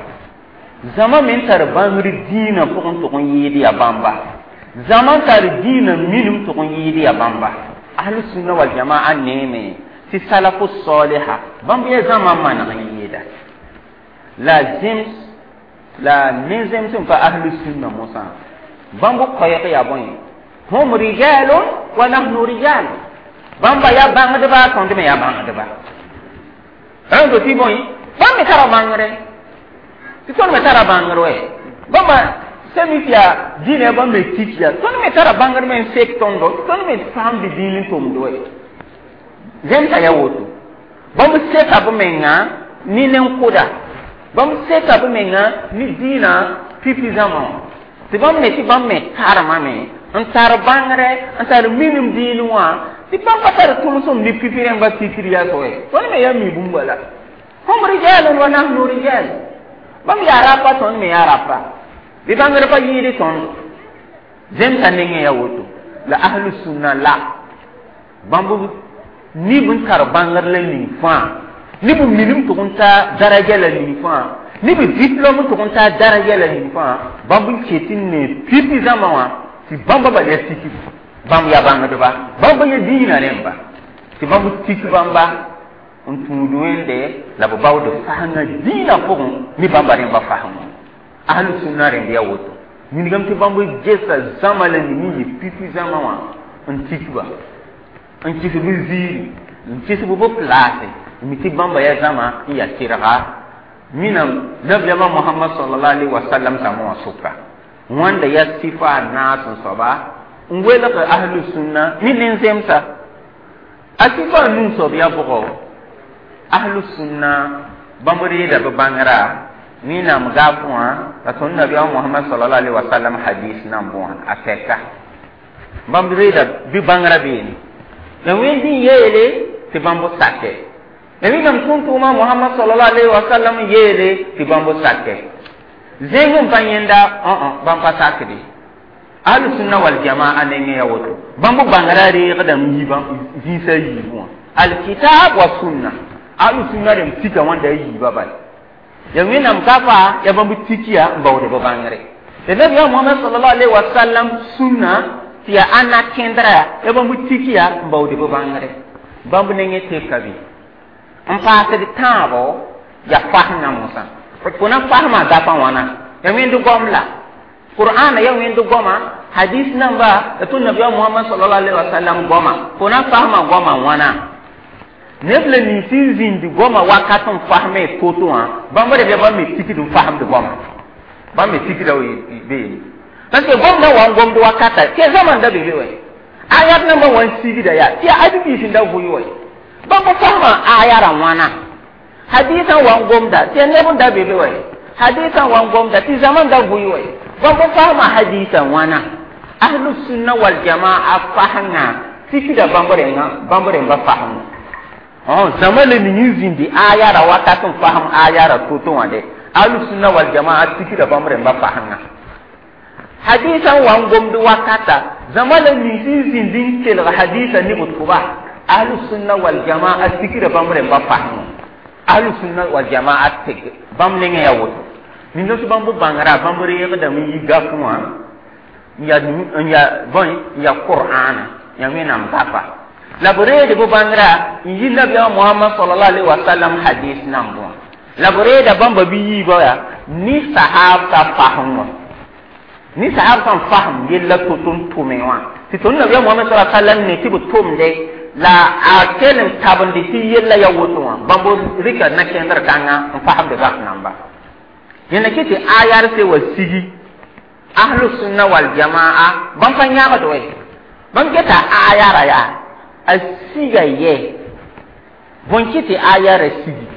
S1: zãma me n tar bãngr dĩinã pʋgẽ tʋg n yɩɩd yaa bãmba zãma n tar dĩinã minim tʋg n yɩɩd yaa bãmba ahlu sunna wal jamaa neeme tɩ salafu saliha bãmb yaa zãma n maneg n yɩɩda la zems la ne zems n pa ahlu sunna mosã bãmb koɛɛg yaa bõe hum rijalun wa nahnu rijal bãmba yaa bãngdba tõnd me yaa bãngdba rãnd tɩ bõe bãmb me tara bãngre tɩ tõnd me tara bãngr wɛ bãmba sẽn tɩ yaa dĩnã bãmb me tik yaa tõnd me tara bãngr me n sek tõndo tõnd me faamd dĩin n tʋmd wɛ zemsa yaa woto bãmb seka b menga ne nen-koda bãmb seka b menga ne dĩinã pipi zãma wã tɩ bãmb me tɩ bãmb me karemame n tar bãngre n tar minim dĩin wã tɩ bãmb pa tar tʋlsem ne pipi rẽmba tikr yaa so tõnd me yaa mi bũmba la hum rijalun wa nahnu rijal bãmb yaa rapa tõnd me yaa rapa bɩ bãngr pa yɩɩd tõnd zemsã nengẽ yaa woto la ahlu sũnna la bãmb nib n tar bãngr la ning fãa nib n minim tʋg n taa daraja la ning fãa nib diplôme tʋg n taa daraja la ning fãa bãmb n ket n ne pipi zãma wã tɩ bãmba bal yaa tikib bãmb yaa bãngdba bãmb yaa dĩinã rẽmba tɩ bãmb tik bãmba n tũud wẽnde la b baood fasẽngã dĩinã pʋgẽ ne bãmba rẽmba fasẽngã ahlu sũnna rẽmb yaa woto wilgame tɩ bãmb gesa zãma la ning n yɩ pipi zãma wã n tikba n kɩs b ziiri n kɩs b b plaase n mi tɩ bãmba yaa zãma n yaa tɩrga minam nabiyaamã Mohamad sallallahu alaihi wasallam zãma wã sʋka wãnda yaa sɩfa a naas n soaba n welg ahlu sũnna ne nen-zemsa a sɩfa a nuu soab yaa bʋgɔ ahlu sũnna bãmb reeda b bãngrã wẽnnaam gaaf wã la tõnd nabiyaamã Mohamad sallallahu alaihi wasallam hadis nan bõa a tɛka bãmb reeda bɩ bãngrã beene la wẽnd n yeele tɩ bãmb sakɛ la wẽnnaam tʋʋm-tʋʋmã Mohamad sallallahu alaihi wasallam yeele tɩ bãmb sakɛ zẽng n pa yẽnda bãmb pa sakde ahlu sunna wal jamaa nengẽ yaa woto bãmb bãngrã reegdame yi zĩisã yiibẽ wã alkitab wa sunna ahlu sunna rẽmb tika wãnda a yiibã bala ya wẽnnaam gafa ya bãmb tikiya n baood b bãngre la nabiyaam Mohamad sallallahu alaihi wasallam sũnna tɩ yaa ãnna kẽndra ya bãmb tikiya n baood b bãngre bãmb nengẽ teka be n paasd tãabo yaa fasẽngã mosã fo na fasmã gafã wãna ya wẽnd goam la qur'ana ya wẽnd goama hadis namba la tõnd nabiyaam Mohamad sallallahu alaihi wasallam goama fo na fasmã goamã wãna neb la nins n zĩnd goama wakat n fasme to-to wã bãmb reb yaa bãmb me tikd n fasmd goama bãmb me tikda beene parce que gomdã wa n gomd wakata tɩ ya zãma n da be be wɛ ayat nambã wa n sigda yaa tɩ yaa adi-biis n da vʋɩ wɛ bãmb fasmã ayara wãna hadisã wa n gomda tɩ ya neb n da be be wɛ hadisã wa n gomda tɩ zãma n da vʋɩ wɛ bãmb fasmã hadisã wãna ahlu sunna wal jamaa fasẽngã tikda bãmb rẽngã bãmb rẽmba fasẽngã zãma la ning n zĩndi ayara wakat n fasem ayara to-to wã de ahlu sunna wal jamaa tikda bãmb rẽmba fasẽngã hadisã wa n gomd wakata zãma la nins n zĩnd n kelg hadisã ne b tʋba ahlu sunna wal jamaa tikda bãmb rẽmba fasẽngã ahlu sunna wal jamaa tɩg bãmb nengẽ yaa woto ninda tɩ bãmb bãngrã bãmb reegdame n yi gafẽ wã n yaa n yaa bõe n yaa qur'ana yaa wẽnnaam gafa la b reed b bãngrã n yi nabiyaam Mohamad sallallahu alaihi wasallam hadis nan bõa la b reeda bãmba bɩ yiibã yaa ne sahab ka fasẽng wã ne sahab sẽn fasem yella to-to n tʋme wã tɩ tõnd nabiyaam Mohamad sallallahu alaihi wasallam ne tɩ b tʋmde La a kell n tabende tɩ yella ya woto wã bãmb rɩka na-kẽndr kãngã n fasemd gaf namba yẽna kɩ tɩ ayar se wa sigi ahlu sunna wal jamaa bãmb pa yãgd wɛ bãmb geta ayara yaa a siga yɛ bõn kɩ tɩ ayara sigi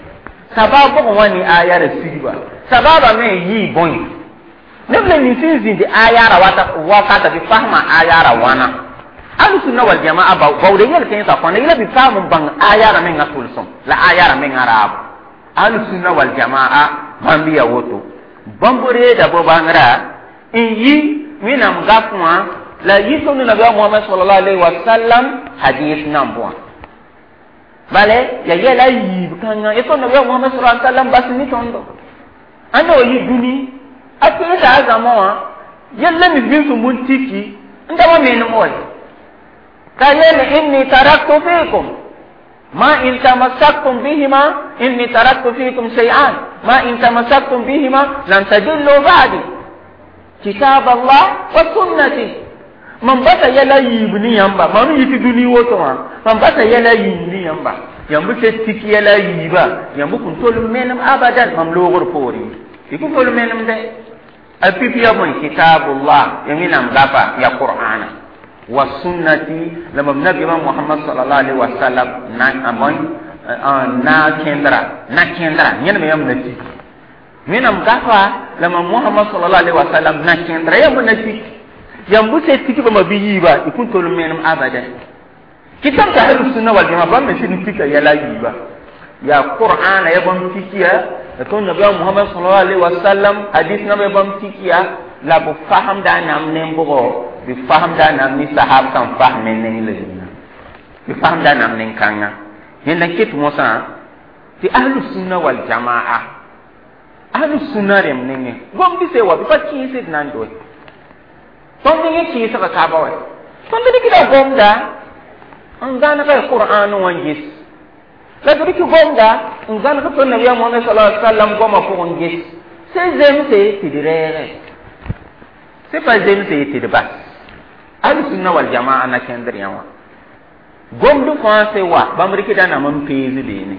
S1: sabab bʋgẽ wã ne ayara sigba sababa me yɩɩ bõe neb la nins n zĩndi ayara wakata bɩ fasma ayara wãna ahlu sunna wal jamaa baood yel kẽensã fãa la bɩ paam n bãng ayara menga tʋlsem la ayara menga raabo ahlu sunna wal jamaa bãmb ya woto bãmb reeda bo-bãngrã n yi wẽnnaam gaf wã la yi tõnd nabiya mohamad sallallahu alaihi wasallam hadis namb wã bale ya yɛla a yiib kãngã ya tõnd nabiya mohamad sallallahu alaihi wasallam bas ne tõndo ãnda wa yi dũni a teesa a zãma wã yella mi vĩn sẽn bũn tiki n da wa menem wa ka yel inni taraktu fikum ma in tamassaktum bihima inni taraktu fikum shay'an ma in tamassaktum bihima lan tadillu ba'di kitab Allah wa sunnati mam basa yɛla yiib ne yãmba mam yi tɩ dũni woto wã mam basa yɛla yiib ne yãmba yãmb se tik yɛla yiiba yãmb kõn tol menem abadan mam loogr poore y kõn tol menem dɛ a pipi ya bõe kitabullah ya wẽnnaam gafa ya qur'ana wa sunnati la mam nabiyama muhammad sallallahu alaihi wasallam na bõe na kẽndra na kẽndra yẽneme yãmb na tik wẽnnaam gafa la mam muhammad sallallahu alaihi wasallam na kẽndra yãmb na tik yãmb se tik bãmba bɩ yiiba y kõn tol menem abadan kitab ta ahlus sunna wal jamaa bãmb me sɩd n tika yɛla yiiba ya qur'ana ya bãmb tikiya la tõnd nabiya muhammad sallallahu alaihi wasallam hadis namba ya bãmb tikiya la b fasemda a nam nen-bʋgɔ bɩ fasemda a nam ne sahab sãn fasme neng la zĩnã bɩ fasemda a nam nen-kãngã yẽnda n ket mosã tɩ ahlus sunna wal jamaa ahlus sunna rẽmb nengẽ gomd se wa bɩ pa kɩɩsd nan doe tõnd nengẽ kɩɩsga kaaba wa tõnd rɩkda gomda n zãnega qur'an wã n ges la d rɩk gomda n zãneg tõnd nabiya mohamad sallallahu alaihi wasallam goamã pʋgẽ ges se zemse tɩ d reege se pa zemse tɩ d bas ahlu sunna wal jamaa na kẽndr yã wã gomd fãa se wa bãmb rɩkda nam n pees beene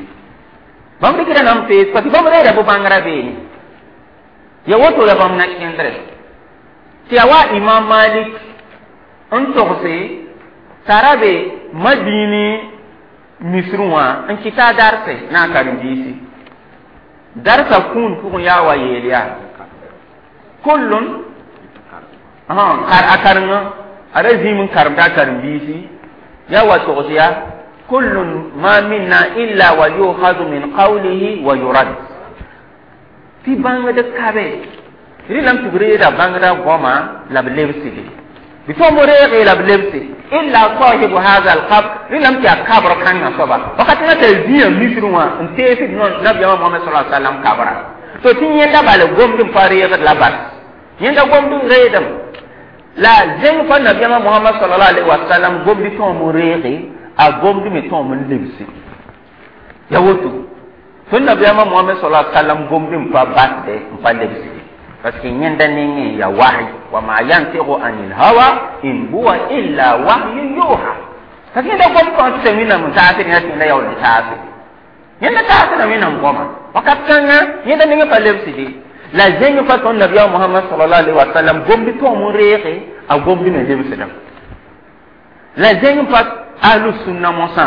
S1: bãmb rɩkda nam n pees parce que bãmb reeda bʋ-bãngrã beene ya woto ya bãmb na kẽndre tɩ ya wa imam malik n togse t'a ra be madini misr wã n kɩta a darse na a karen-biisi darsa kũun pʋgẽ yaa wa yeel yaa kullun a karengã a ra zĩim n karemda a karen-biisi yaa wa togs yaa kullun ma minna illa wa yukhadu min qawlihi wa yurad tɩ bãngd kabe rɩlame tɩ b reeda bãngda goama la b lebsde bɩ tõnd reege la b lebse illa sahibu hadha alqabr rẽndame tɩ yaa kabr kãngã soaba wakat na t'a zĩa misr wã n teesd nabiyaamã mohamad sa sallam kabra to tɩ yẽnda bal gomd n pa reegd la bas yẽnda gomd n reedem la zẽng pa nabiyaamã mohamad sallallahu alaihi wasallam gomd tõom n reege a gomd me tõom n lebse ya woto tõnd nabiyaamã mohamad sallallahu alaihi wasallam gomd n pa basde n pa lebsde parce que yẽnda nengẽ ya wahy wa ma yantiqu anil hawa in huwa illa wahyu yuha parce que yẽnda gom fãa tɩ wẽnnaam n taasd yã tɩ yẽnda yaool n taase yẽnda taasda wẽnnaam goama wakat kãngã yẽnda nengẽ pa lebsde la zẽng pa tõnd nabiyaam mohamad sallallahu alaihi wasallam gomd tõom n reege a gomd me lebsdame la zẽng pa ahlu sunna mosã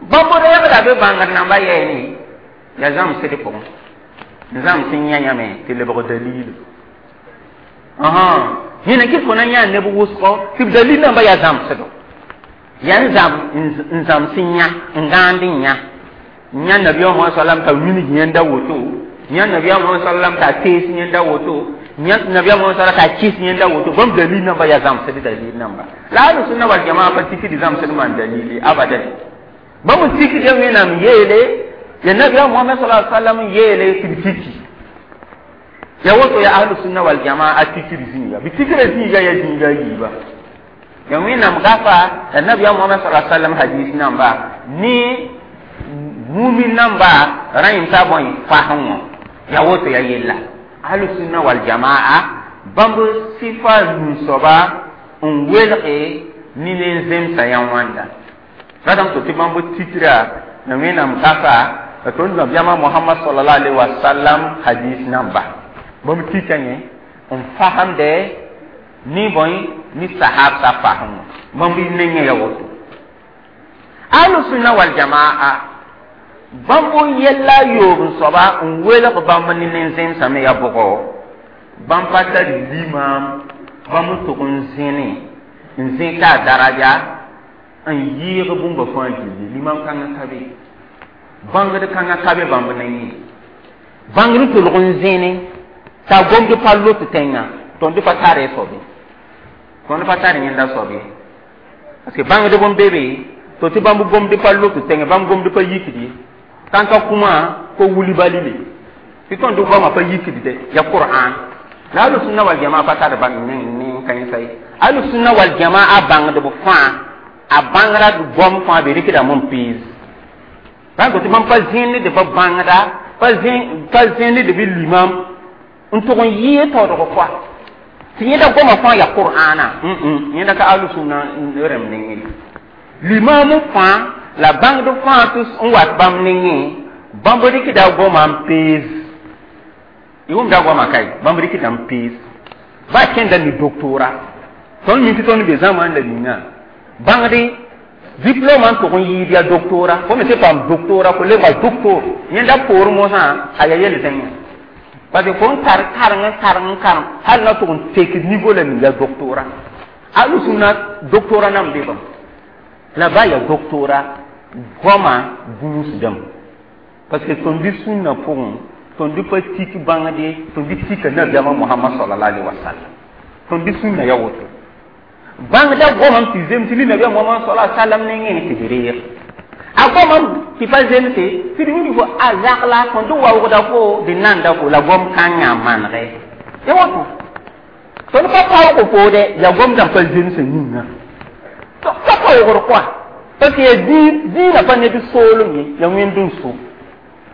S1: bãmb reegda be bãngd namba yɛɛne ya zãmsd pʋgẽ n zãms n yã yãme tɩ lebg dalil yẽna kɩ fo na yã neb wʋsgɔ tɩ b dalil namba yaa zãmsdo yaa n zãm n zãms n yã n gãand n yã yã nabiyaam mohamad sallam t'a wilg yẽnda woto yã nabiyaam mohamad sallam t'a tees yẽnda woto yã nabiyaam mohamad sallam t'a kɩs yẽnda woto bãmb dalil namba yaa zãmsd dalil namba la ahlu sunna wal jamaa pa tikd zãmsd maan dalili abadan bãmb tikd wẽnnaam yeele ya nabiyaam mohamad sallallahu alaihi wasallam yeele tɩ b tiki ya woto ya ahlu sunna wal jamaa tikr zĩiga bɩ tikra zĩiga ya zĩiga yiiba ya wẽnnaam gafa la nabiyaam mohamad sallallahu alaihi wasallam hadis namba ne mumin namba rãyem t'a bõe fasẽ wã ya woto ya yella ahlu sunna wal jamaa bãmb sɩfa nu-soaba n welge ne nen-zemsã yã wãnda Ratame to tɩ bãmb tikra na Wẽnnaam kasa la tõnd nabiyaamã Mohamad sallallahu alaihi wasallam hadis namba bãmb tika yẽ n fasemde ni bõe ni sahab sa fasem bãmb nengẽ ya woto. Ahlu sunna wal jamaa bãmb yɛlla a yoob n soaba n welg bãmb ne nen-zẽmsã me ya bʋgɔ bãmb pa tar limaam bãmb n tʋg n zẽne n zẽka a daraja n yɩɩg bũmba fãa gilli. Limam kãngã ka be, bãngd kãngã ka be bãmb nengẽ, bãngd n tolg n zẽne t'a gomd pa lot tẽngã. Tõnd pa tare soabe, tõnd pa tar yẽnda soab ye, parce que bãngdb n be be to tɩ bãmb gomd pa lot tẽngã, bãmb gomd pa yikd ye. Tãnka kũmã ko wuli balile tɩ tõnd goamã pa yikd de ya Qur'an la ahlu sunna wal jamaa pa tar bãng ne kãensa ye. Ahlu sunna wal jamaa bãngdb fãa a bãngrã goam fãa be rɩkdame n pees bãng tɩ bãmb pa zẽnd b bãngda, pa zẽnd b limam n tʋg n yɩɩ taoodg koa tɩ yẽnda goamã fãa ya Qur'ana. Yẽnda ka ahlu sunna rẽmb nengẽ. Limam fãa la bãngd fãa tɩ n wat bãmb nengẽ, bãmb rɩkda goamã n pees. Y wʋmda goamã kae, bãmb rɩkda n pees ba kẽnda ne doctora. Tõnd mi tɩ tõnd be zãmã la ninga bãngde diplôme n tʋg n yɩɩd ya doctora, fo me sẽn paam doctora fo lebga doctor. Yẽnda poor mosã a ya yel zẽngã, parce que fo n tar kareng n kareng n karem hal na tʋg n tek niveau la ning ya doctora. Ahlu sunna doctora nan be bãmb la ba ya doctora goamã gũusdame, parce que tõnd sũnna pʋgẽ tõnd pa tik bãngde, tõnd tika nabiyaamã Mohamad sallallahu alaihi wasallam. Tõnd sũnna ya woto, bãngda goamã tɩ zems ne nabiyaam Mohamad sallallahu alaihi wasallam nengẽ tɩ b reeg a goamã tɩ pa zemse tɩ d wilg fo a zagla tõnd waoogda fo d nanda fo la goam kãngã manege ya woto. Tõnd pa paoog foode ya gomdã pa zemsã yĩnga pa paoogr koa, parce que ya dĩinã pa ned soolem ye, ya wẽnd n so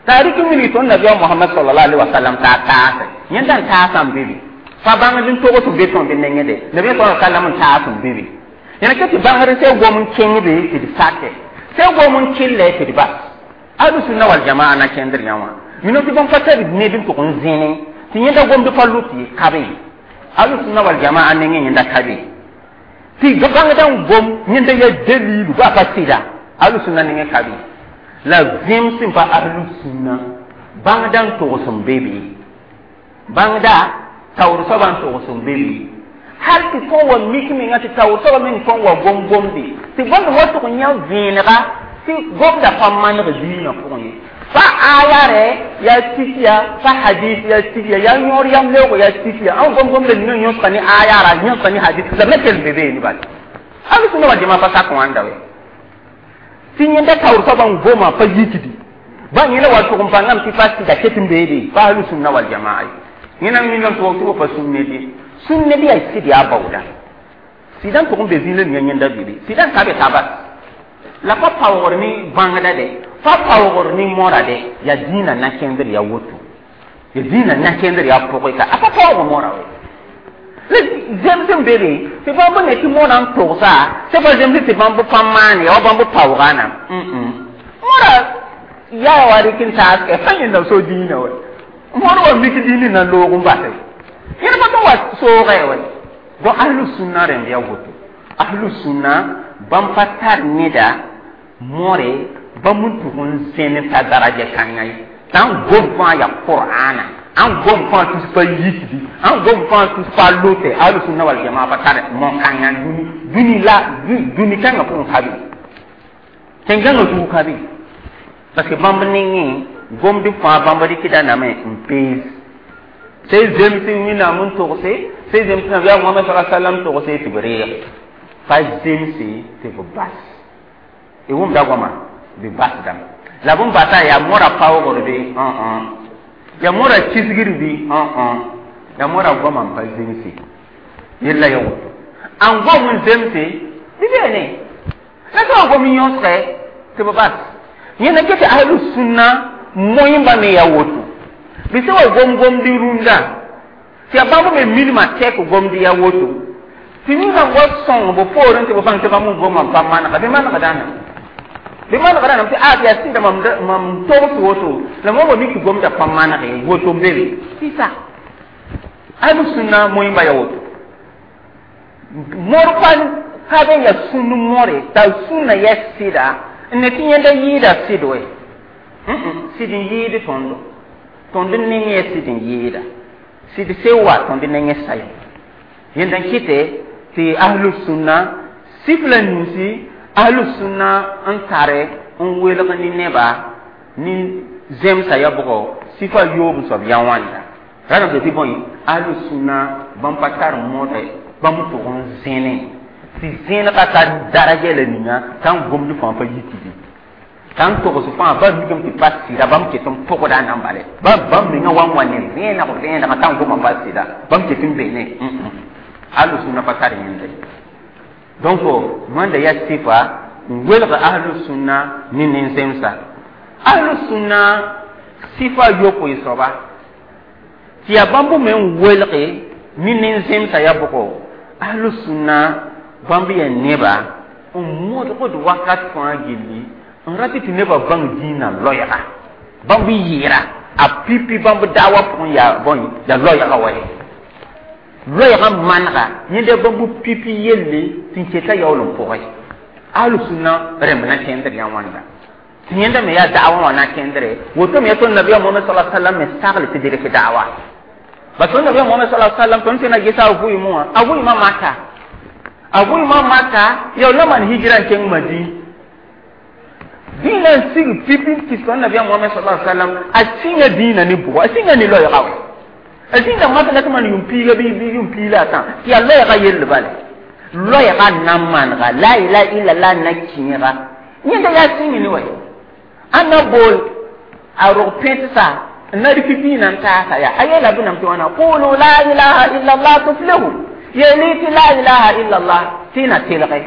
S1: t'a rɩk n wilg tõnd nabiyaam Mohamad sallallahu alaihi wasallam t'a taase yẽnda n taasã n be be pa bãngd n togs n be tõnd nengẽ de nabiyaam sallallahu alaihi wasallam n taas n be be yẽna ke tɩ bãngd sã gom n kẽng be tɩ d sake sã gom n kɩllɛ tɩ d bas. Ahlu sunna wal jamaa na kẽndr yã wã mino tɩ bãmb pa tar ned n tʋg n zẽne tɩ yẽnda gomd pa lut ye, ka be ahlu sunna wal jamaa nengẽ. Yẽnda ka be tɩ bãngdã n gom yẽnda ya dalilu ba pa sɩda, ahlu sunna nengẽ ka be. La vẽem sẽn pa ahlu sunna bãngda n togs n be be, bãngda taoor soabã n togs n be be, hal tɩ tõn wa mik menga tɩ taoor soabã meng tõn wa gom-gomde tɩ gomd wa tʋg n yã vẽenega tɩ gomda pa maneg diinã pʋgẽ ye. Pa aya rɛ yaa tikiya, pa hadis yaa tikiya, yaa yõor yam leoogo yaa tikiya. Ãn gom-gomda ninga yõsga ne ayara, yõsga ne hadis la me kell be beene bala. Ahlu sunna wal jamaa pa sak wãnda we tɩ yẽnda taoor soabã n goma pa yikdi ba yẽla wa tʋg n bãngame tɩ pa sɩda ket n beede pa ahlu sunna wal jamaa ye. Yẽna minam tɩ tɩ pa sũnne de sũnne bɩ yaa sɩd yaa baooda sɩdã n tʋg n be zĩig la ninga yẽnda bebe sɩdã n ka be t'a bas la pa paoogr ne bãngda de, pa paoogr ne mora de, yaa dĩinã na kẽndr ya woto, ya dĩinã na kẽndr ya pʋgẽ ka a pa paoog mora we. La zems n be be tɩ bãmb ne tɩ mora n togsa sẽn pa zemsɩ tɩ bãmb pa maane wa bãmb paoogã na mora yaa wa rɩk n taas pa yẽnda so dĩinã we. Mor wa mik dĩinã na loog n base yẽd pa tɩ wa soogɛ we. Donc ahlu sunna rẽmb ya woto. Ahlu sunna bãmb pa tar neda more bãmb n tʋg n zẽn t'a daraja kãngã ye t'a n gom fãa ya Qur'ana, an gom fãa tus pa yikdi, an gom fãa tus pa lote. Ahlu sunna wal jamaa pa tar mo-kãngã dũni dũni la dũni kãngã pʋgẽ ka be, tẽn-gãngã zug ka be, parce que bãmb nengẽ gomd fãa bãmb rɩkda name n pees sẽn zems Wẽnnaam n togse, sẽn zems nabiyaam Mohamad sa sallam togse tɩ b reeg, pa zemse tɩ b bas. Y wʋmda goama bɩ basdame la bõn basa yaa mora paoogr bɩ yaa mora kisgr bɩ yaa mora goama n pa zemse yella ya woto. An gom n zemse bɩ beene la sã n gom n yõsgɛ tɩ b bas. Yẽnda ket tɩ ahlu sunna moẽmba me ya woto bɩ sã wa gom-gomd rũndã tɩ yaa bãmb me milmã tɛk gomd ya woto tɩ ninga wa sõng b poorẽ tɩ b bãng tɩ bãmb n gomã pa manega bɩ manegdãna. Bɩ manegã rãmb tɩ a tɩ yaa sɩda mam mam togs woto la mam wa mik tɩ gomda pa manege woto n be be sɩsa ahlu sunna moẽmba ya woto mor pa ka be ya sũnd more t'a sũnna yaa sɩda n ne tɩ yẽnda yɩɩda sɩd we sɩd n yɩɩd tõndo tõnd neng yaa sɩd n yɩɩda sɩd se wa tõnd nengẽ sayo yẽnda n kɩte tɩ ahlu sunna sif la ninsi ahlu sunna n tare n welg ne neba ne zemsa ya bʋgɔ sifa yoob n soab yaa wãnda rãdame tɩ bõe ahlu sunna bãmb pa tar modɛ bãmb tʋg n zẽne tɩ zẽnega tar daraja la ninga t'a n gomd fãa pa yi tɩ t'a n togs fãa ba mikame tɩ pa sɩda bãmb ket n pʋgda nan bale bãmb menga wa n wa ne vẽeneg vẽenega t'a n goma pa sɩda bãmb ket n be ne ahlu sunna pa tar yẽnda ye donc wãnda yaa sɩfa n welg ahlu sunna ne nin-zemsa ahlu sunna sɩfa yopoe soaba tɩ yaa bãmb me n welge ne nin-zemsa yaa bʋgo ahlu sunna bãmb yaa neba n modgd wakat fãa gilli n rat tɩ nebã bãng dĩinã loɛɛga bãmb yɩɩra a pipi bãmb daawa pʋgẽ yaa bõe yaa loɛɛga wa ye loɛɛga manega yẽnda bãmb pipi yelle tɩ n keta yaool n pʋgẽ ahlu sunna rẽmb na kẽndr yã wãnda tɩ yẽnda me yaa da'wa wã na kẽndre woto me yaa tõnd nabiya mohamad sala sallam me sagl tɩ dɩrk da'wa ba tõnd nabiya mohamad sala sallam tõnd sẽn na gesa a vʋɩmẽ wã a vʋɩmã maka a vʋɩmã maka yaool na maan hijra n kẽng madin dĩinã n sig pipi n kis tõnd nabiya mohamad sala sallam a sĩnga dĩinã ne bʋgɔ a sĩnga ne loɛɛga wɛ a zĩnda mak la tɩ maan yʋm piiga bɩ yʋm piila a tã tɩ yaa loɛɛga yell bale loɛɛga na manega la ilaha illallah na kẽega yẽnda yaa sĩng ne wa ãnna bool a rog pẽtsa n na rɩk dĩinã n taasa yaa a yeela bɩ nam tɩ wãna qulu la ilaha illallah tuflihu yeeli tɩ la ilaha illallah tɩ na telge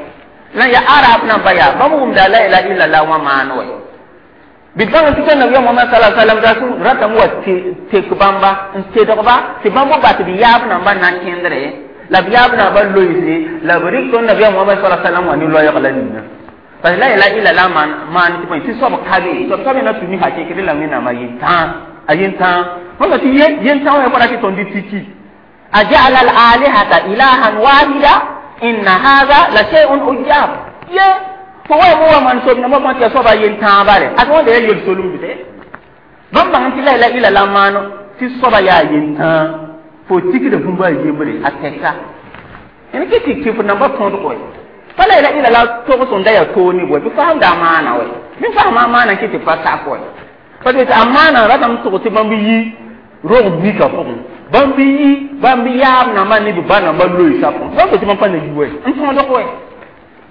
S1: la ya arab namba yaa bãmb wʋmda la ilaha illallah wã maan wa bɩ bãng tɩ tõnd nabiya mohamad sala sallam ra sẽn ratame wa tek bãmba n tedgba tɩ bãmb n bat b yaab namba na n kẽndre la b yaab namba loeese la b rɩk tõnd nabiya mohamad sala sallam wã ne loɛɛg la ninga parce que la ilaha illallah maan maan tɩ bõe tɩ soab ka be soab ka be na tũ ne hakɩk la wẽnnaam a yentãag a yentãag wãnda tɩ yentãag wã ra tɩ tõnd tiki aja'ala al-alihata ilahan wahida inna hadha la shay'un ujab ye fo wa mo wa man sob na mo tɩ ya soaba yentãag bale a wãnda yaa yel solem bɩ bãmb bãng tɩ la ilaha illallah maano tɩ soaba yaa yentãag fo tikda bũmb a yembre a tɛka n kɩ tɩ kɩf namba tõdg wɛ pa la ilaha illallah togs n da yaa toog ne bõe bɩ faamda a maana wɛ bɩ faama a maana kɩ tɩ pa sak wɛ parce que a maana ratame tʋg tɩ bãmb yi rog mika pʋgẽ bãmb yi bãmb yaab namba ne b ba namba loeesa pʋgẽ bãmb tɩ bãmb pa na yi wɛ n tõdg wɛ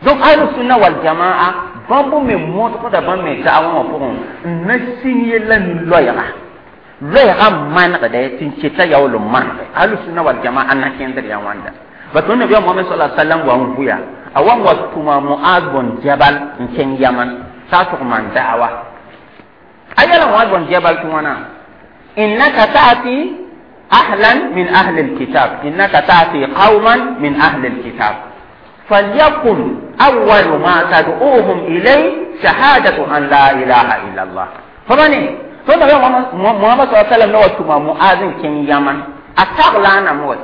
S1: donc ahlu sunna wal jamaa bãmb me modgda bãmb me da'wã wã pʋgẽ n na sĩng yella ne loɛɛga loɛɛga manegdɛ tɩ n keta yaool n manege ahlu sunna wal jamaa na kẽndr yaa wãnda ba tõnd nabiya mohamad sala sallam wa n vʋya a wa n wa tʋma muaz bn jabal n kẽng yaman t'a tʋg maan da'wa a yɛla muaz bn jabal tɩ wãna innaka ta'ti ahlan min ahli alkitab innaka ta'ti qauman min ahli alkitab فليكن أول ما تدعوهم إليه شهادة أن لا إله إلا الله فماني ثم محمد صلى الله عليه وسلم نوى تما معاذ كن يمن أتغلا نموت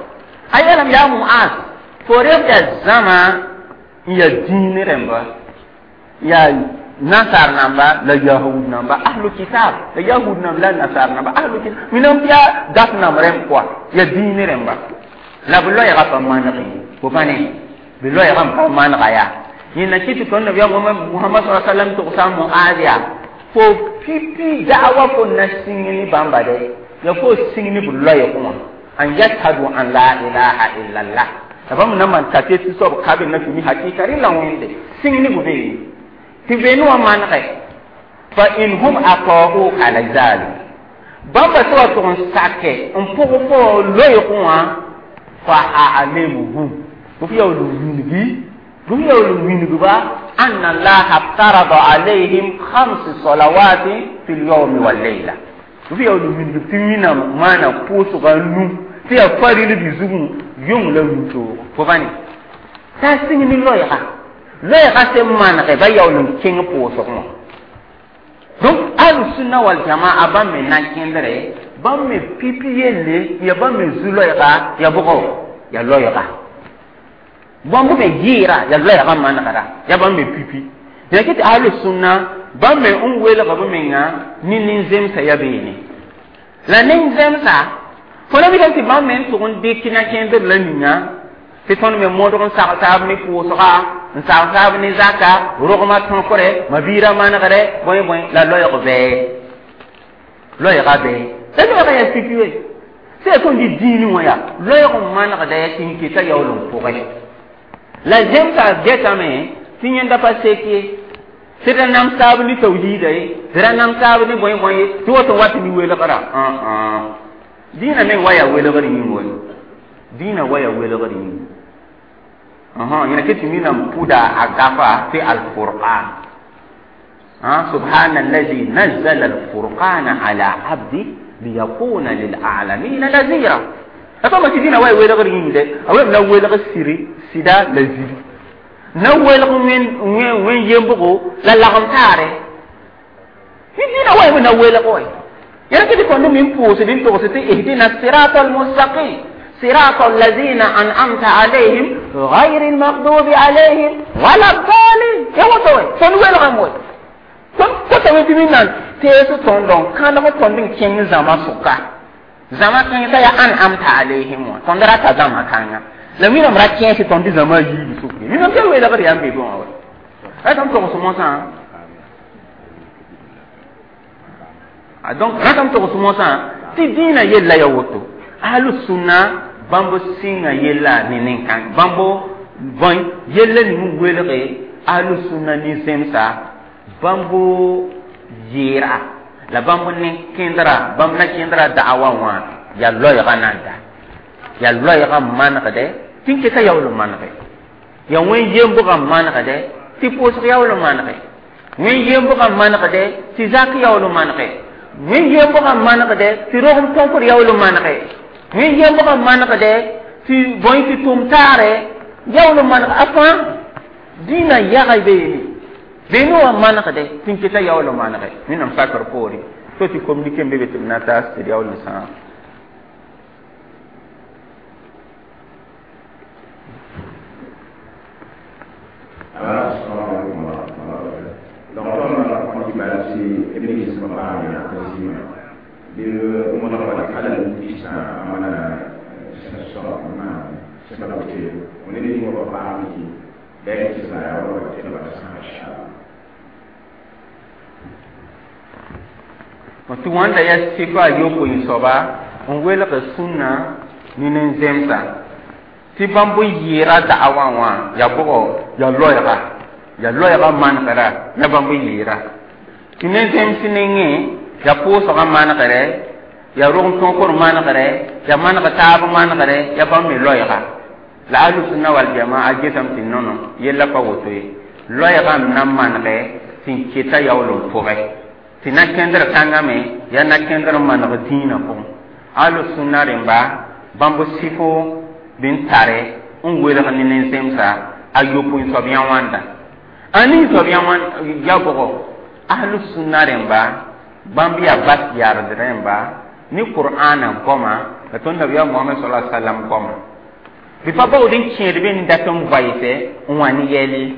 S1: أيلم يا معاذ فريق الزمان يا دين رمبا يا nasar namba la yahud namba ahlu kitab la yahud namba la nasar namba ahlu kitab minam ya gat nam rem quoi ya dine remba la bu loy ga pa mangi ko fane bi loy ga pa man ga ya ni na kiti ton nabi muhammad sallallahu alaihi wasallam to sa muadiya fo pipi da'wa ko na singini bamba de ya fo singini bu loy ko an yashhadu an la ilaha illallah tabam na man ta te so kabe na fi hakika ri la wonde singini bu be tɩ veen wã manege fa in hum ata'uka ala zalik bãmba sã wa tʋg n sake n pʋg fo loeegẽ wã fa a'limuhum b yaool n wilgi b yaool n wilgba anna allaha ftarada alayhim khams salawati fi lyawmi walleila b yaool n wilgb tɩ wĩnam maana pʋʋsga nu tɩ yaa faril bɩ zugẽ yõng la wĩntoogo fo bãne t'a sĩng ne loɛɛga loɛɛga sẽn manege ba yaool n kẽng pʋʋsg wã Ahlu sunna wal jamaa bãmb me na kẽndre bãmb me pipi yelle ya bãmb me zu-loɛɛga ya bʋgɔ ya loɛɛga bãmb me yɩɩra ya loɛɛga manegda ya bãmb me pipi ya kɩ tɩ ahlu sunna bãmb me n welg b menga ne nin-zemsa ya beene la nin-zemsa fo na mikame tɩ bãmb me n tʋg n dɩk na kẽndr la ninga tɩ tõnd me modg n sagl taab ne pʋʋsga n sagl taab ne zaka rogmã tõkre ma-biirã manegre bõe bõe la loɛɛg bɛɛ loɛɛga bɛɛ la loɛɛga yaa pipi we sẽn yaa tõnd dɩ dĩinẽ wã yaa loɛɛg n manegda tɩ n keta yaool n pʋgẽ la zemsa getame tɩ yẽnda pa sek ye tɩ ra nam taab ne tawhiida ye tɩ ra nam taab ne bõe bõe ye tɩ woto wat ne welgra dĩinã meng wa yaa welgr yĩng we dĩinã wa yaa welgr yĩng yẽna kɩ tɩ minam pʋda a gafa tɩ alfurqan سبحان الذي نزل الفرقان على عبده ليكون للعالمين نذيرا أفما تدينا واي ويلغ ريند أو لا ويلغ سيري سيدا لزيري na welg wẽn wẽn yembgo la lagem taare tɩ dĩinã wa na welg we yãa tɩ tõnd me n pʋʋsd n togs tɩ ihdina sirata almustaqim صراط الذين أنعمت عليهم غير المغضوب عليهم ولا الضالين يا وتوي tõnd welgame we tõnd kotame tɩ minna tees tõndõ kãadg tõnd n kẽng zãma sʋka zãma kãng t'a yaa an'amta alayhim wã tõnd rata zãma kãnga la wẽnnaam ra kẽes tõnd zãma a yiib sʋk ye wẽnnaam tɩ welgd yaa n be bõwã wa ratame togs mosã donc ratame togs mosã tɩ dĩinã yella ya woto ahlu sunna bãmb sɩnga yella ne nin-kãng bãmb bõe yella ning n welge ahlu sunna nin-zemsa bãmb yɩɩra la bãmb nin-kẽndra bãmb na kẽndra da'awa wã yaa loɛɛga nanda yaa loɛɛga manegdɛ tɩ n keta yaool n manege yaa wẽn yembgã manegdɛ tɩ pʋʋsg yaool n manege wẽn yembgã manegdɛ tɩ zak yaool n manege wẽn yembgã manegdɛ tɩ rogem tõkr yaool n manege wẽn yembgã manegdɛ tɩ bõe tɩ tʋm taare yaool n maneg a fãa dĩinã yaga beene beene wã manegdɛ tɩ n keta yaool n manege wẽnnaam sakr poore to tɩ communiqué n be be tɩ b na taas tɩ d yaool n sãam
S2: Assalamualaikum warahmatullahi wabarakatuh. Donc, on va prendre si Iblis mabaya tazima. Bi umma ala al-isna amana sa sa ke on est ni wa ba mi ben ki sa ya wa ke ba sa insha
S1: tɩ wãnda yaa sifa a yopoe soaba n welg sũnna ne nin-zemsa tɩ bãmb yɩɩra da'awã wã yaa bʋgɔ yaa loɛɛga yaa loɛɛga manegda yaa bãmb yɩɩra tɩ nin-zems nengẽ yaa pʋʋsgã manegre yaa rog tõkr manegre yaa maneg taab manegre yaa bãmb me loɛɛga la ahlu-sunna wal-jamaa gesame tɩ nono yella pa woto ye loɛɛga m na manegɛ tɩ n keta yaool n pʋgɛ tɩ na kẽndr kãngame yaa na kẽndr n maneg dĩinã pʋgẽ ahlu-sunna rẽmba bãmb sɩfo bɩ n tare n welg ne nin-zemsa a yopoe soab yã wãnda a ning soab yã ya bʋgɔ ahlu-sunna rẽmba bãmb yaa bas yard rẽmba ne qur'ana goma la tõnd nabiyaam mohamad sala sallam goma bɩ pa baood n kẽed be n dat n vaɩsɛ n wã ne yɛl ye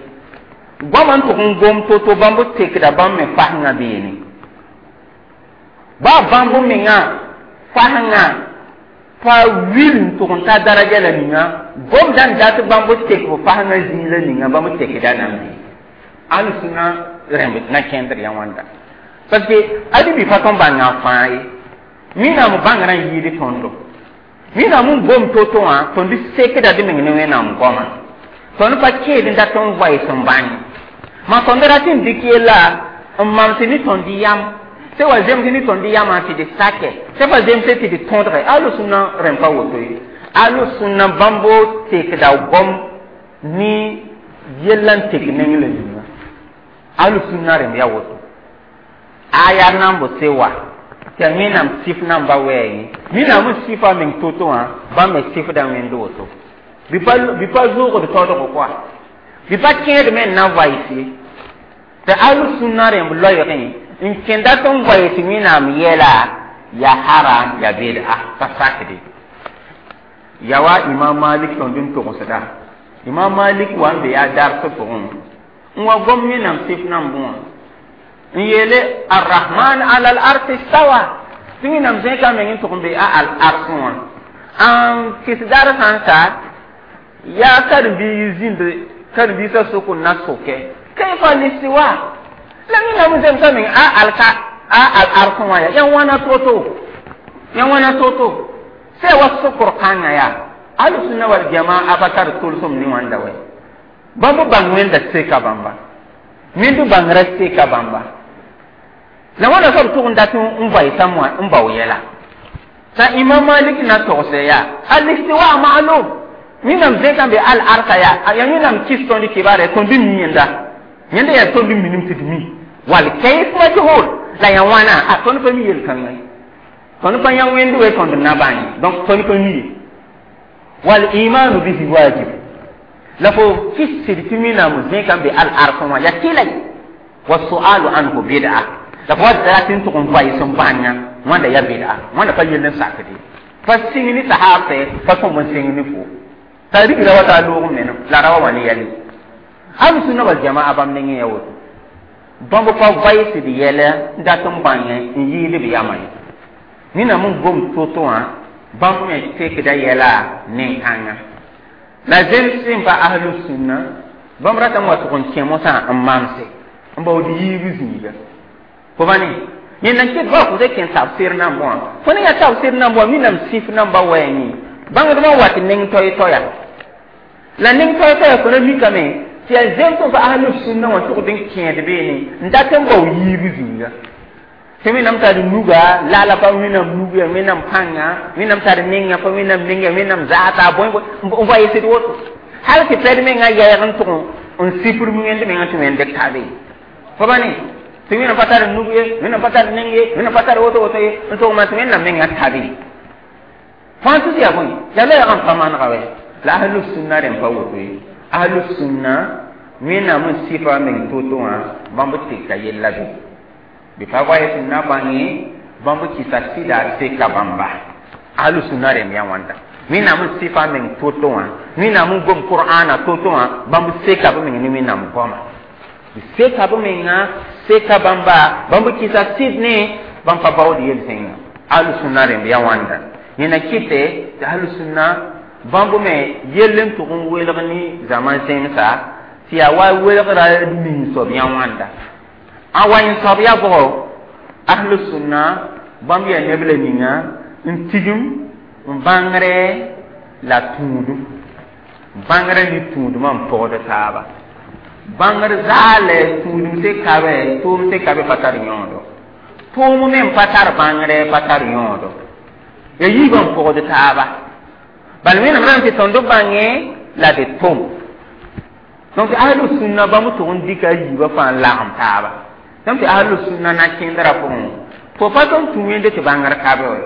S1: goama n tʋg n gom to-to bãmb tekda bãmb me fasengã beene baa bãmb menga fasengã pa wil n tʋg n ta daraja la ninga gomda n dat bãmb tek b fasengã zĩig la ninga bãmb tekda nan be alsũna rẽmb na kẽndr yã wãnda parce que adi bɩ pa tõn bãnga fãa ye wẽnnaam bãngrã n yɩɩd tõndo wẽnnaam n gom to-to wã tõnd sekda d meng ne wẽnnaam goama tõnd pa kẽed n dat n vaɩs n bãng ma tõnd rat n dɩk yella n mams ne tõnd yam sẽn wa zems ne tõnd yamã tɩ d sake sẽn pa zemse tɩ d tõdge alʋsũna rẽmb pa woto ye alʋsũna bãmbo tekda gom ne yella n tek neng la yĩnga alʋsũna rẽmb yaa woto aya nan b se wa tɩ wẽnnaam sɩf namba wɛɛngẽ wẽnnaam n sɩfa meng to-to wã bãmb me sɩfda wẽnd woto bɩ pa zoogd taoodgo koa bɩ pa kẽed me n na vaɩs ye tɩ alʋsũna rẽmb loɛɛgẽ N kẽnda tɩ n goe tɩ Wẽnnaam yɛla ya haram ya bid'a pa sakde ya wa Imam Malik tõnd n togsda Imam Malik wa n be yaa dars pʋgẽ n wa gom Wẽnnaam sɩf nambẽ wã n yeele arrahman ala al arsh istawa tɩ Wẽnnaam zẽka meng n tʋg n be a al ars wã n kɩs dar sã n ka yaa karen-biig zĩnd karen-biisã sʋk n na sʋkɛ kayfa listiwa la Wẽnnaam zemsa meng a alka a al ars wã ya ya wãna to-to ya wãna to-to sɛ wa sokr kãngã yaa ahlu-sunna wal jamaa pa tar tolsem ne wãnda wɛ bãmb bãng wẽnda seka bãmba wẽnd bãngrã seka bãmba la wãna soab tʋg n dat n vaɩsã n bao yɛla t'a Imam Malik na togsɛ yaa al-istiwa ma'lum Wẽnnaam zẽka n be al arsa yaa ya Wẽnnaam kɩs tõnd kibaarɛ tõnd mi yẽnda yẽnda yaa tõnd minim tɩ d mi wal kayf majhul la ya wãna a tõnd pa mi yel-kãngã ye tõnd pa yã wẽnd we tõnd na bãng donc tõnd pa mi ye wal imanu bihi wajib la fo kɩsd tɩ Wẽnnaam zẽka n be al ars wã ya tɩla ye wa su'alu anhu bid'a la fo wa rat n tʋg n vaɩs n bãnga wãnda ya bid'a wãnda pa yell n sakde pa sɩng ne sahaabsɛ pa sõm n sɩng ne fo t'a rigra wa t'a loog menem la ra wa wã ne yɛle ahlu sunna wal jamaa bãmb nengẽ ya woto bãmb pa vaɩsd yɛla n dat n bãngẽ n yɩɩd b yamã ye Wẽnnaam n gom to-to wã bãmb me tekda yɛla nen-kãngã la zems sẽn pa ahlu sunna bãmb ratame wa tʋg n kẽ mosã n mamse n baood yiib zĩiga fo ba ne yẽnda n ket ba fo kẽ tafsir nambã wã fo ne yaa tafsir nambã wã Wẽnnaam sɩf nambã wɛɛngẽ bãngdmã wat neng toay-toaya la neng toay-toaya fo na mikame tɩ yaa zems sẽn pa ahlu sunna wã tʋgd n kẽed beene n dat n bao yiib zĩiga tɩ Wẽnnaam tar nuga lala pa Wẽnnaam nug ya Wẽnnaam pãnga Wẽnnaam tar nenga pa Wẽnnaam nenga Wẽnnaam zaata bõe n vaɩsd woto hal tɩ pɛd mengã yɛɛg n tʋg n sifr wẽnd mengã tɩ wẽnd kabe fo ba ne tɩ Wẽnnaam pa tar nug ye Wẽnnaam pa tar neng ye Wẽnnaam pa tar woto woto ye n tʋg tɩ Wẽnnaam mengã tabe fãa tɩ yaa bõe yaa la yag n pa manega wɛ la ahlu sunna rẽn pa woto ye ahlu sunna Wẽnnaam n sɩfa meng to-to wã bãmb teka yella be bɩ pa vaɩs n na bãnge bãmb kɩsa sɩda seka bãmba ahlu sunna rẽmb yaa wãnda Wẽnnaam n sɩfa meng to-to wã Wẽnnaam n gom qur'ana to-to wã bãmb seka b meng ne Wẽnnaam goama b seka b menga seka bãmba bãmb kɩsa sɩd ne bãmb pa baood yel-zẽnga ahlu sunna rẽmb yaa wãnda yẽna kɩte tɩ ahlu sunna bãmb me yell n tʋg n welg ne zãma zẽmsa tɩ yaa wa welgra nin soab yã wãnda a wa n soab yaa bʋgɔ ahlu sunna bãmb yaa neb la ninga n tigim n bãngre la tũudum bãngrã ne tũudmã n pɔgd taaba bãngr zaalɛ tũudum se kabe tʋʋm se kabe pa tar yõodo tʋʋm me n pa tar bãngrɛ pa tar yõodo ya yiibã n pɔgd taaba bala Wẽnnaam rãmb tɩ tõnd bãngẽ la d tʋm donc ahlu sunna bãmb tʋg n dɩka a yiibã fãa n lagem taaba tõm tɩ ahlu sunna na kẽndrã pʋgẽ fo pa tõnd tũ wẽnde tɩ bãngr kabe wɛ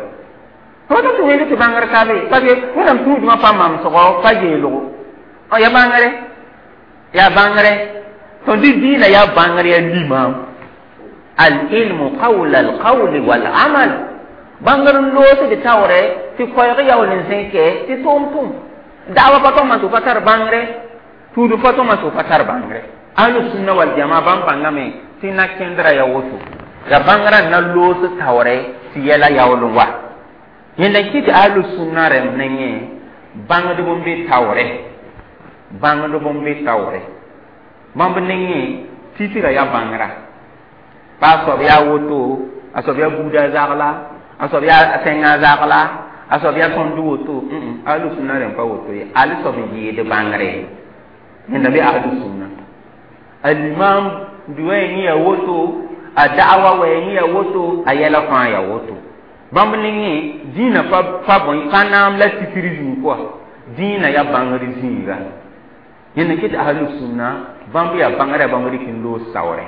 S1: fo pa tõnd tũ wẽnde tɩ bãngr kabe parce que Wẽnnaam tũudmã pa mamsgɔ pa yeelgo ya bãngre yaa bãngre tõnd dĩinã yaa bãngr yaa limam al ilmu qawla al qawli wal amal bãngr n loosd taoorɛ tɩ koɛɛg yaool n zẽkɛ tɩ tʋʋm tʋm da'wa pa tõma tɩ pa tar bãngre tũudum pa tõma tɩ pa tar bãngre ahlu sunna wal jamaa bãmb bãngame tɩ na kẽndrã ya woto ya bãngrã n na loos taoorɛ tɩ yɛla yaool n wa yẽnda kɩ tɩ ahlu sunna rẽmb nengẽ bãngdb n be taoorɛ bãngdb n be taoorɛ bãmb nengẽ titira yaa bãngrã pa a soab yaa woto a soab yaa buuda zagla a soab yaa tẽngã zagla a soab yaa tõnd woto ahlu sunna rẽmb pa woto ye al soab n yɩɩd bãngre yẽnda be ahlu sunna alimam duwɛɛ ya woto a da'awa wɛɛ ya woto a yɛla fãa ya woto bãmb nengẽ dĩinã pa pa bõe pa naam la tikr zĩig pʋga dĩinã yaa bãngr zĩiga yẽnda kɩ tɩ ahlu sunna bãmb yaa bãngrã bãmb rɩk n loos saoorɛ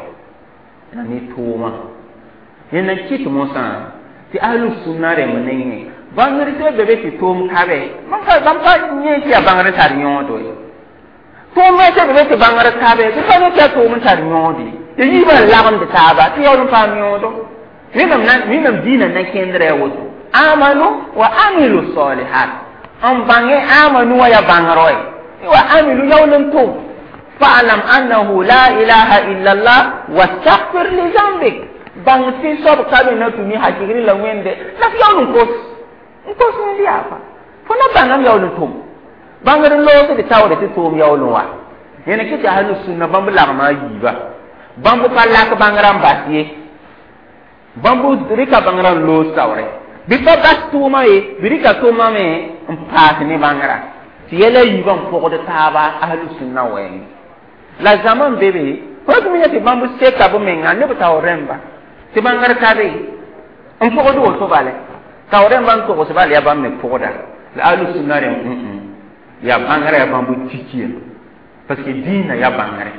S1: la ne tʋʋmã yẽnda kɩt mosã tɩ ahlu sunna rẽmb nengẽ bãngr sã be be tɩ tʋʋm kabe bãmb pa yẽ tɩ yaa bãngr tar yõodo ye tʋʋm me sã be be tɩ bãngr kabe tɩ pa yẽ tɩ yaa tʋʋm n tar yõod ye Tɩ yiibã n lagmd taaba tɩ yaool n paam yõodo. Wẽnnaam dĩinã na kẽndrã yaa woto. Amanu wa amilu salihat. N bãngẽ amanu wã yaa bãngr wɛ. Wa amilu yaool n tʋm. Fa'lam annahu la ilaha illa Allah wastaghfir li zambik. Bãng tɩ soab ka be na tũ ne hakɩgre la wẽnde la f yaool n kos. N kos wẽnd yaa fa. Fo na bãngame yaool n tʋm. Bãngr n loosd taoore tɩ tʋʋm yaool n wa. Yẽne kɩ tɩ ahlu sunna bãmb lagma a yiiba. Bãmb pa lak bãngrã n bas ye. Bãmb rɩka bãngrã n loos taoore. Bɩ pa bas tʋʋmã ye, bɩ rɩka tʋʋmã me n paas ne bãngrã. Tɩ yɛla yiibã n pʋgd taaba ahlu sunna wɛɛngẽ. La zãma n be be, fo tɩ me tɩ bãmb seka b menga ne b taoor rẽmba. Tɩ bãngr ka be n pʋgd woto bale. Taoor rẽmba n togs bal yaa bãmb me pʋgda. La ahlu sunna rẽ yaa bãngrã yaa bãmb tikiya. Parce que dĩinã yaa bãngre.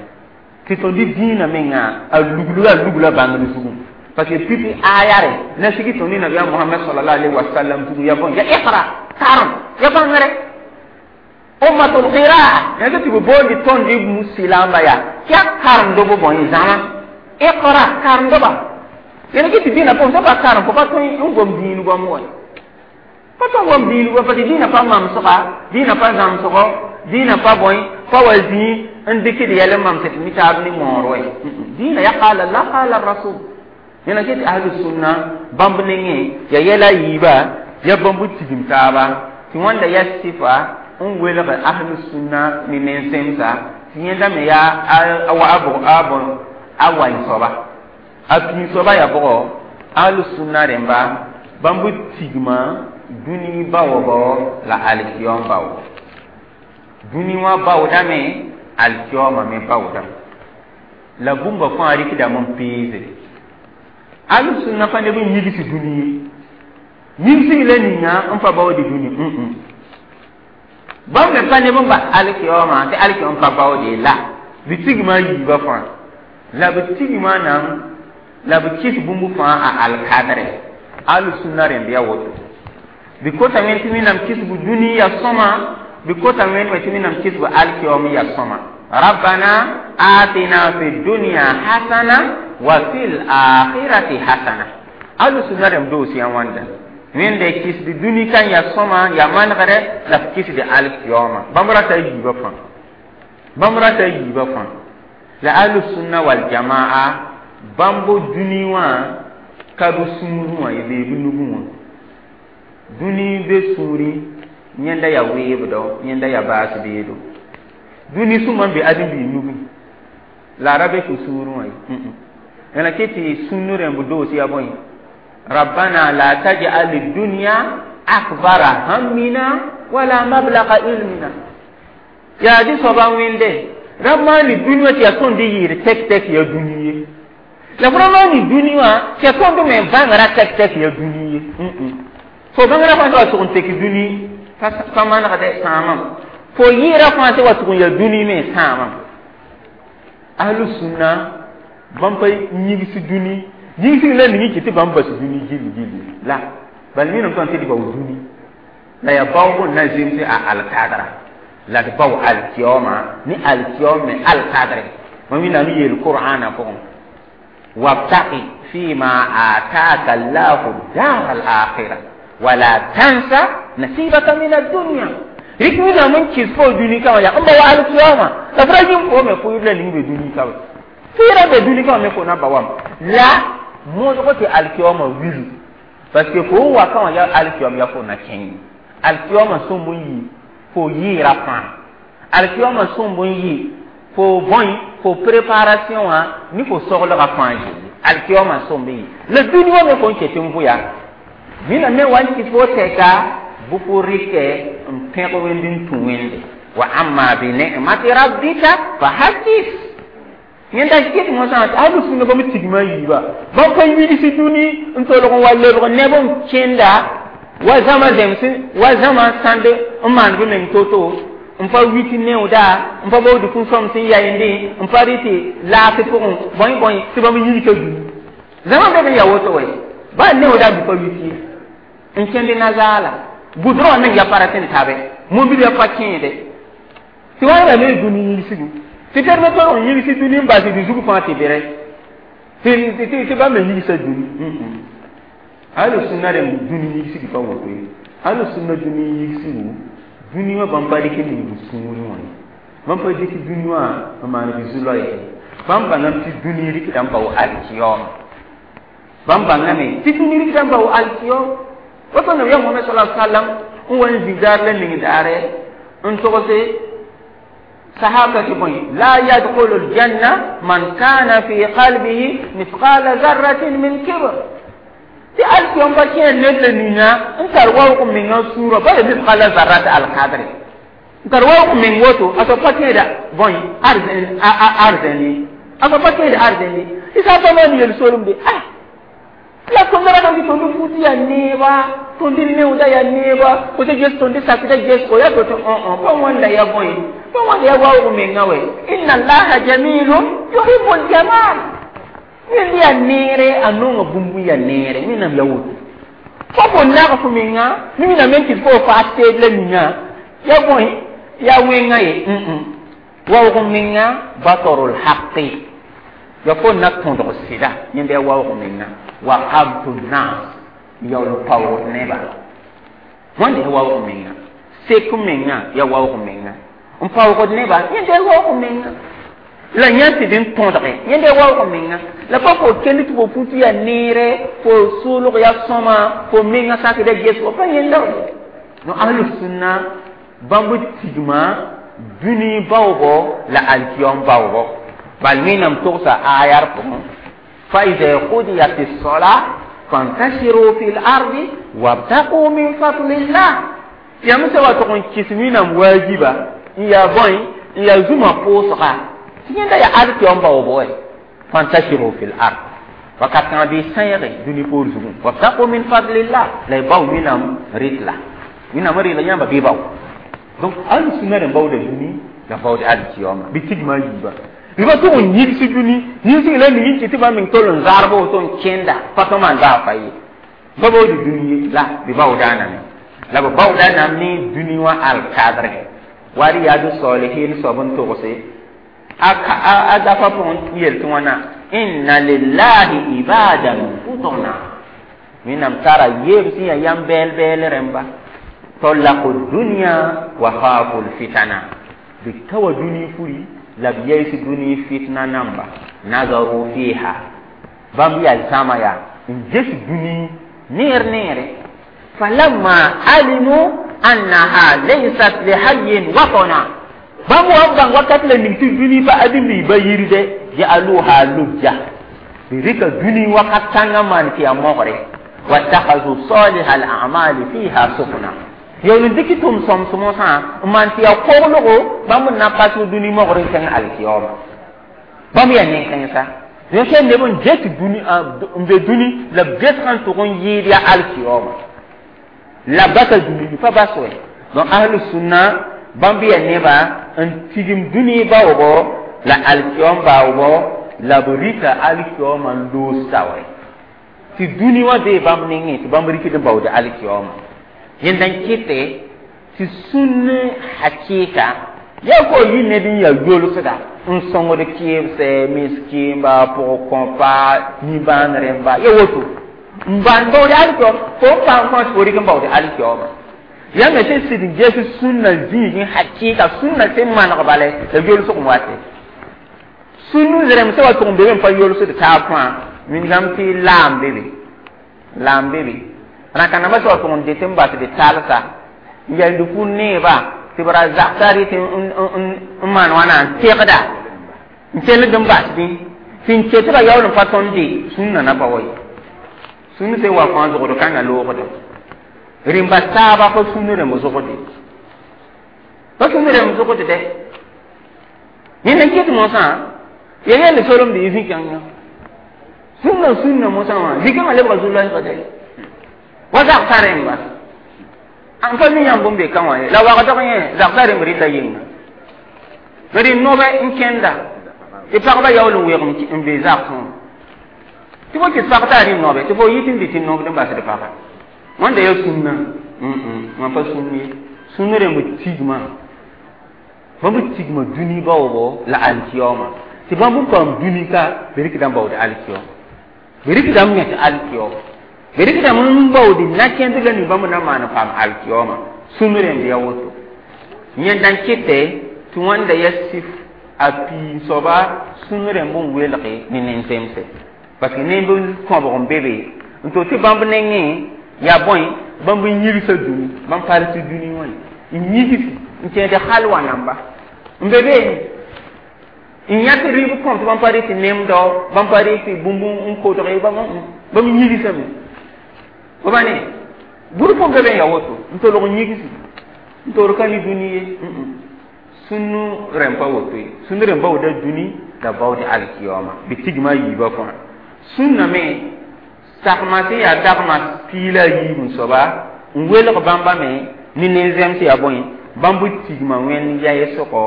S1: Tɩ tõnd dĩinã menga a lugluga a lugla bãngr zugu. Parce que pipi aya re na sigi tõnd nabiyaam Mohamɛd sallallahu alaihi wa sallam zugu ya bõe ya iqra karem ya bãngre. Ummatul qiraa yãnd tɩ b boondi tõnd musilamba yaa tɩ ya karemdb bõe zãma. Iqra karemdba. Yẽne kɩ tɩ dĩinã pʋgẽ sẽn pa karem fo pa tõe n gom dĩin goam wɛ. Pa tõe n gom dĩin goam parce que dĩinã pa mamsga, dĩinã pa zãmsgo, dĩinã pa bõe pa wa zĩig n dɩkd yɛl n mamsd tɩ taab ne moor wɛ. Dĩinã ya qala Allah qala rasul. Yẽna kɩ tɩ ahlu sunna bãmb nengẽ ya yɛla yiiba ya bãmb tigim taaba tɩ wãnda ya sɩfa n welg ahlu sunna ne nen-zemsa tɩ yẽnda me yaa a wa a bõ a waẽ soaba. A pĩig soaba yaa bʋgɔ ahlu sunna rẽmba bãmb tigma dũni baoobɔ la alkiyom baoobɔ. Dũni wã baoodame alkiyoma me baoodame. La bũmba fãa rɩkdame n peese. Ahlu sunna pa neb n yigs dũni ye. Yigsg la ninga n pa baood dũni. Bãmb me pa neb n bas alkiyoma tɩ alkiyom pa baood la. Bɩ tigma a yiibã fãa. La b tigma nan la b kɩs bũmb fãa a alkadre. Ahlu sunna rẽmb yaa woto. Bɩ kotame tɩ wẽnnaam kisb dũni ya sõma, bɩ kotame tɩ wẽnnaam kisb alkiyom ya sõma. Rabbana atina fi dunya hasana wa fil akhirati hasana. Ahlu sunna rẽmb doos yã wãnda. Wẽnde kisd dũni kan ya sõma ya manegre la f kisd alkiyoma. Bãmb rata a yiibã fãa. Bãmb rata a yiibã fãa. La ahlu sunna wal jamaa bãmb dũni wã ka b sũurẽ wã ye bee b nugẽ wã. Dũni be sũurẽ yẽnda yaa weebdɔ, yẽnda yaa baas beedo. Dũni sũma n be ãdem-biig nugẽ. La a ra be fo sũurẽ wã ye. Yẽla kɩ tɩ sũnn rẽmb doos yaa bõe? Rabbana la taj'al ad-dunya akbara hammina wala mablagha ilmina. Yaa dɩ soaba n wẽnde ra maani dũni wã tɩ yaa tõnd yɩɩd tɛk tɛk ya dũni ye. La fo ra maani dũni wã tɩ yaa tõnd me bãngrã tɛk tɛk ya dũni ye. Fo bãngrã fãa sã wa tʋg n tek dũni pa manegdɛ sãamam. Fo yɩɩra fãa sã wa tʋg n ya dũni me sãamam. Ahlu sunna bãmb pa yigs dũni. Yigsg la ning kɩ tɩ bãmb bas dũni gilli gilli la. Bal minam tõnd tɩ d bao dũni. La yaa baoog n na zemse a alkadra. La d bao alkiyoma ne alkiyom me alkadre. Mam wẽnnaam yeel Qur'aana pʋgẽ. Wabtaqi fima ataka Allahu dar al-akhirah wala tansa nasibaka min ad-dunya. Rɩk wẽnnaam n kɩs fo dũni kã wã yaa n ba wa alkiyoma. La f ra yĩm fo me fo la ning be dũni ka Fɩɩra be dũni kã wã me fo na ba wam. La modg tɩ alkiyoma wilu. Parce que fo n wa kã wã yaa alkiyom yaa fo na kẽng. Alkiyoma sõmb n yi fo yɩɩra fãa. Alkiyoma sõmb n yi fo bõe fo préparation wã ne fo soglgã fãa gilli. Alkiyoma sõmb n yi. La dũni wã me fo n ket n vʋ yaa. Wẽnnaam me wa n kɩs fo tɛka bɩ fo rɩkɛ n pẽg wẽnd n tũ wẽnde. Wa amma bi ni'mati rabbika fa haddith. Yẽnda kɩt mosã tɩ ahlu sunna bãmb tigma yiiba. Bãmb pa wilsi dũni n tolg n wa lebg neb n kẽnda wa zãma zems wa zãma sãnd n maan b meng to-to n pa wit neooda n pa baood kũ-sõms n yaeendẽ n pa rɩ tɩ laafɩ pʋgẽ bõe bõe tɩ bãmb yilka dũni. Zãma be b ya woto wɛ. Baa neooda bɩ pa wit ye. N kẽnd nazaala. Gʋdrã wã meng ya pa rat n tabe. Mobil ya pa kẽede. Tɩ wã ra ne dũni yilsigu. Tɩ tɩ me tolg n yilsi dũni n bas d zug fãa tɩ bere. Tɩ tɩ bãmb me yigsa dũni. Ahlu sunna rẽmb dũni yigsg pa woto ye. Ahlu sunna dũni yigsgu dũni wã bãmb pa dɩk n ning sũurẽ wã ye. Bãmb pa dɩk dũni wã n maan bɩ zu-loɛɛg. Bãmb bãngame tɩ dũni rɩkda n bao alkiyom. Bãmb bãngame tɩ dũni rɩkda n bao alkiyom. Woto nabiyaam Mohamɛd sala sallam n wa n zĩ daar la ning daare n togse sahaba tɩ bõe la yadkhulu aljanna man kana fi qalbihi mithqala zarratin min kibr. Tɩ alkiyom pa kẽer ned la ninga n tar waoog menga sũurã ba ya mithqala zarrat alkadre n tar waoog meng woto a soab pa kẽeda bõe arzẽn ye, a soab pa kẽed arzẽn ye. Tɩ sã pa maan yel solemde ah la tõnd ratame tɩ tõnd fut yaa neeba, tõnd neooda yaa neeba, fo tɩ ges tõnd sakda gesgo yaa to tɩ õ pa wãnda ya bõe, pa wãnda ya waoog menga wɛ. Inna allaha jamilun yuhibu ljamal. Wẽnd yaa neere a nonga bũmb n yaa neere wẽnnaam ya woto. Fo fo nag fo menga wẽnnaam n kɩt fo faas teed la ninga ya bõe ya wẽnga ye. Waoog menga batarul haqi ya fo na tõdg sɩda yẽnda ya waoog menga wa qabtu nas yaool paoog neba wãnda ya waoog menga sek menga ya waoog menga n paoogd neba yẽnda ya waoog menga la yã tɩ d n tõdge yẽnda ya waoog menga la pa fo kend tɩ fo fut yaa neere fo sʋʋlg ya sõma fo menga sakda gesgo pa yẽnda. No ahlu sunna bãmb tigma dũni baoogo la alkiyom baoogo bal wẽnnaam togsa ayar pʋgẽ fa ida qudiyat as-salah fantashiru fi l-ardi wabtaqu min fadlillah. Yãmb sã wa tʋg n kɩs wẽnnaam waajiba n yaa bõe n yaa zũma pʋʋsga tɩ yẽnda yaa alkiyom baoobo wɛ fantashiru fi l-ard wakat kãngã bɩ sãeege dũni poor zugẽ wabtaqu min fadlillah la y bao wẽnnaam rɩtla wẽnnaam rɩtla yãmba bɩ bao. Donc ahlu sunna rẽn baooda dũni la baood alkiyoma bɩ tigma a yiiba bɩ pa tʋg n yigs dũni yigsg la ning n kɩ tɩ bãmb meng tol n zarb woto n kẽnda pa tõm maan baa fa ye ba baood dũni ye la bɩ baoodaaname la b baooda nam ne dũni wã alkadre wa riyadu salihin soab n togse a dafa pʋgẽ yel tɩ wãna inna lillahi ibadan futuna wẽnnaam tara yeeb sẽn yaa yãmb bɛɛl bɛɛl rẽmba tallaqu dunya wa khafu lfitana bɩ ka wa dũni furi la b yays dũni fitna namba nazaru fiha bãmb yaa zãma yaa n ges dũni neer neere falamma alimu annaha laysat lihayin watana bãmb wa n bãng wakat la ning tɩ dũni pa adimbi ba yirde ja'aluha lujja bɩ rɩka dũni wakat kãngã maan tɩ yaa mogre wattakhadhu saliha al-a'mali fiha sufna yaool n dɩk tʋm sõm-sõmosã n maan tɩ yaa koglgo bãmb n na pa tɩ dũni mogr n kẽng alkiyoma bãmb yaa nen-kãensa yẽ neb n ges dũni n be dũni la b gesgã n tʋg n yɩɩd yaa alkiyoma la basa dũni pa bas wɛ. Donc ahlu sunna bãmb yaa neba n tigim dũni baoogo la alkiyom baoogo la b rɩka alkiyoma n loos saoore tɩ dũni wã bee bãmb nengẽ tɩ bãmb rɩkd n baood alkiyoma yẽnda n kɩte tɩ sũn hakɩɩka yaa fo yɩ ned n yaa yolsda n sõngd kɩɩbsɛ miskɩɩmba pʋg-kõpa nimbãan rẽmba ya woto n bãn baood alkiyoom fo n paam fãa tɩ fo rɩk n baood alkiyooma yãmb sẽn sɩd n ges sũnna zĩigẽ hakɩɩka sũnna sẽn maneg bale la yolsg n wate sũn rẽmb sã wa tʋg n be me n pa yolsd taab fãa wĩnigame tɩ laam be be laam be be rãka-nambã sã wa tʋg n det n basd talsa n yald fu neeba tɩ b ra zagsa rɩt n maan wãna n tegda n kell n basdẽ tɩ n ket tɩ yaool n pa tõnd de sũnna na pa wa ye sũn sẽn wa fãa zogd kãngã loogda rẽmba taaba pa sũn rẽmb zogde pa sũn rẽmb zogd dɛ yẽnd n ket mosã ya yell solemd y zĩ-kãngã sũnna sũnna mosã wã zĩ-kãngã lebga zu-loɛɛga dɛ wa zagsa rẽmba n pa mi yãmb n be ka wã ye la wagdg yẽ zagsa rẽmb rɩta yɩnga rɩ nobe n kẽnda tɩ pagba yaool n weeg n be zagsẽ wã tɩ fo kɩs pag t'a rɩ nobe tɩ fo yit n dɩ tɩ nobd n basd paga wãnda yaa sũnna wã pa sũn ye sũn rẽmb tigma bãmb tigma dũni baoogo la alkiyoma Tɩ bãmb n paam dũni ka bɩ rɩkdame baood alkiyooma bɩ rɩkdame yẽt alkiyooma bɩ rɩkdame n baood na-kẽndr la ning bãmb na n maan n paam alkiyooma sũn rẽmb yaa woto yẽnda n kɩtɛ tɩ wãnda yaa sif a piig soaba sũn rẽmb n welge ne nen-zemse parce que nemb kõbg n be be n to tɩ bãmb nengẽ yaa bõe bãmb n yĩgsa dũni bãmb pa rɩt dũni wã n yigs n kẽed halwa namba n be beene n yãk rɩɩb kõm tɩ bãmb pa rɩt nemdɔ bãmb pa rɩt bũmb n kodge bãmb bãmb yigsame b ne bur põn be be n yaa woto n tolg n yigsi n toor ka ne dũni ye sũn rẽmb pa woto ye sũn rẽmb baooda dũni la baood alkiyoma bɩ tigma a yiibã fãa sũnna me sagma sẽn yaa dagma piig la a yiib n soaba n welg bãmba me ne nen-zẽms yaa bõe bãmb tigma wẽnd yaɩsgɔ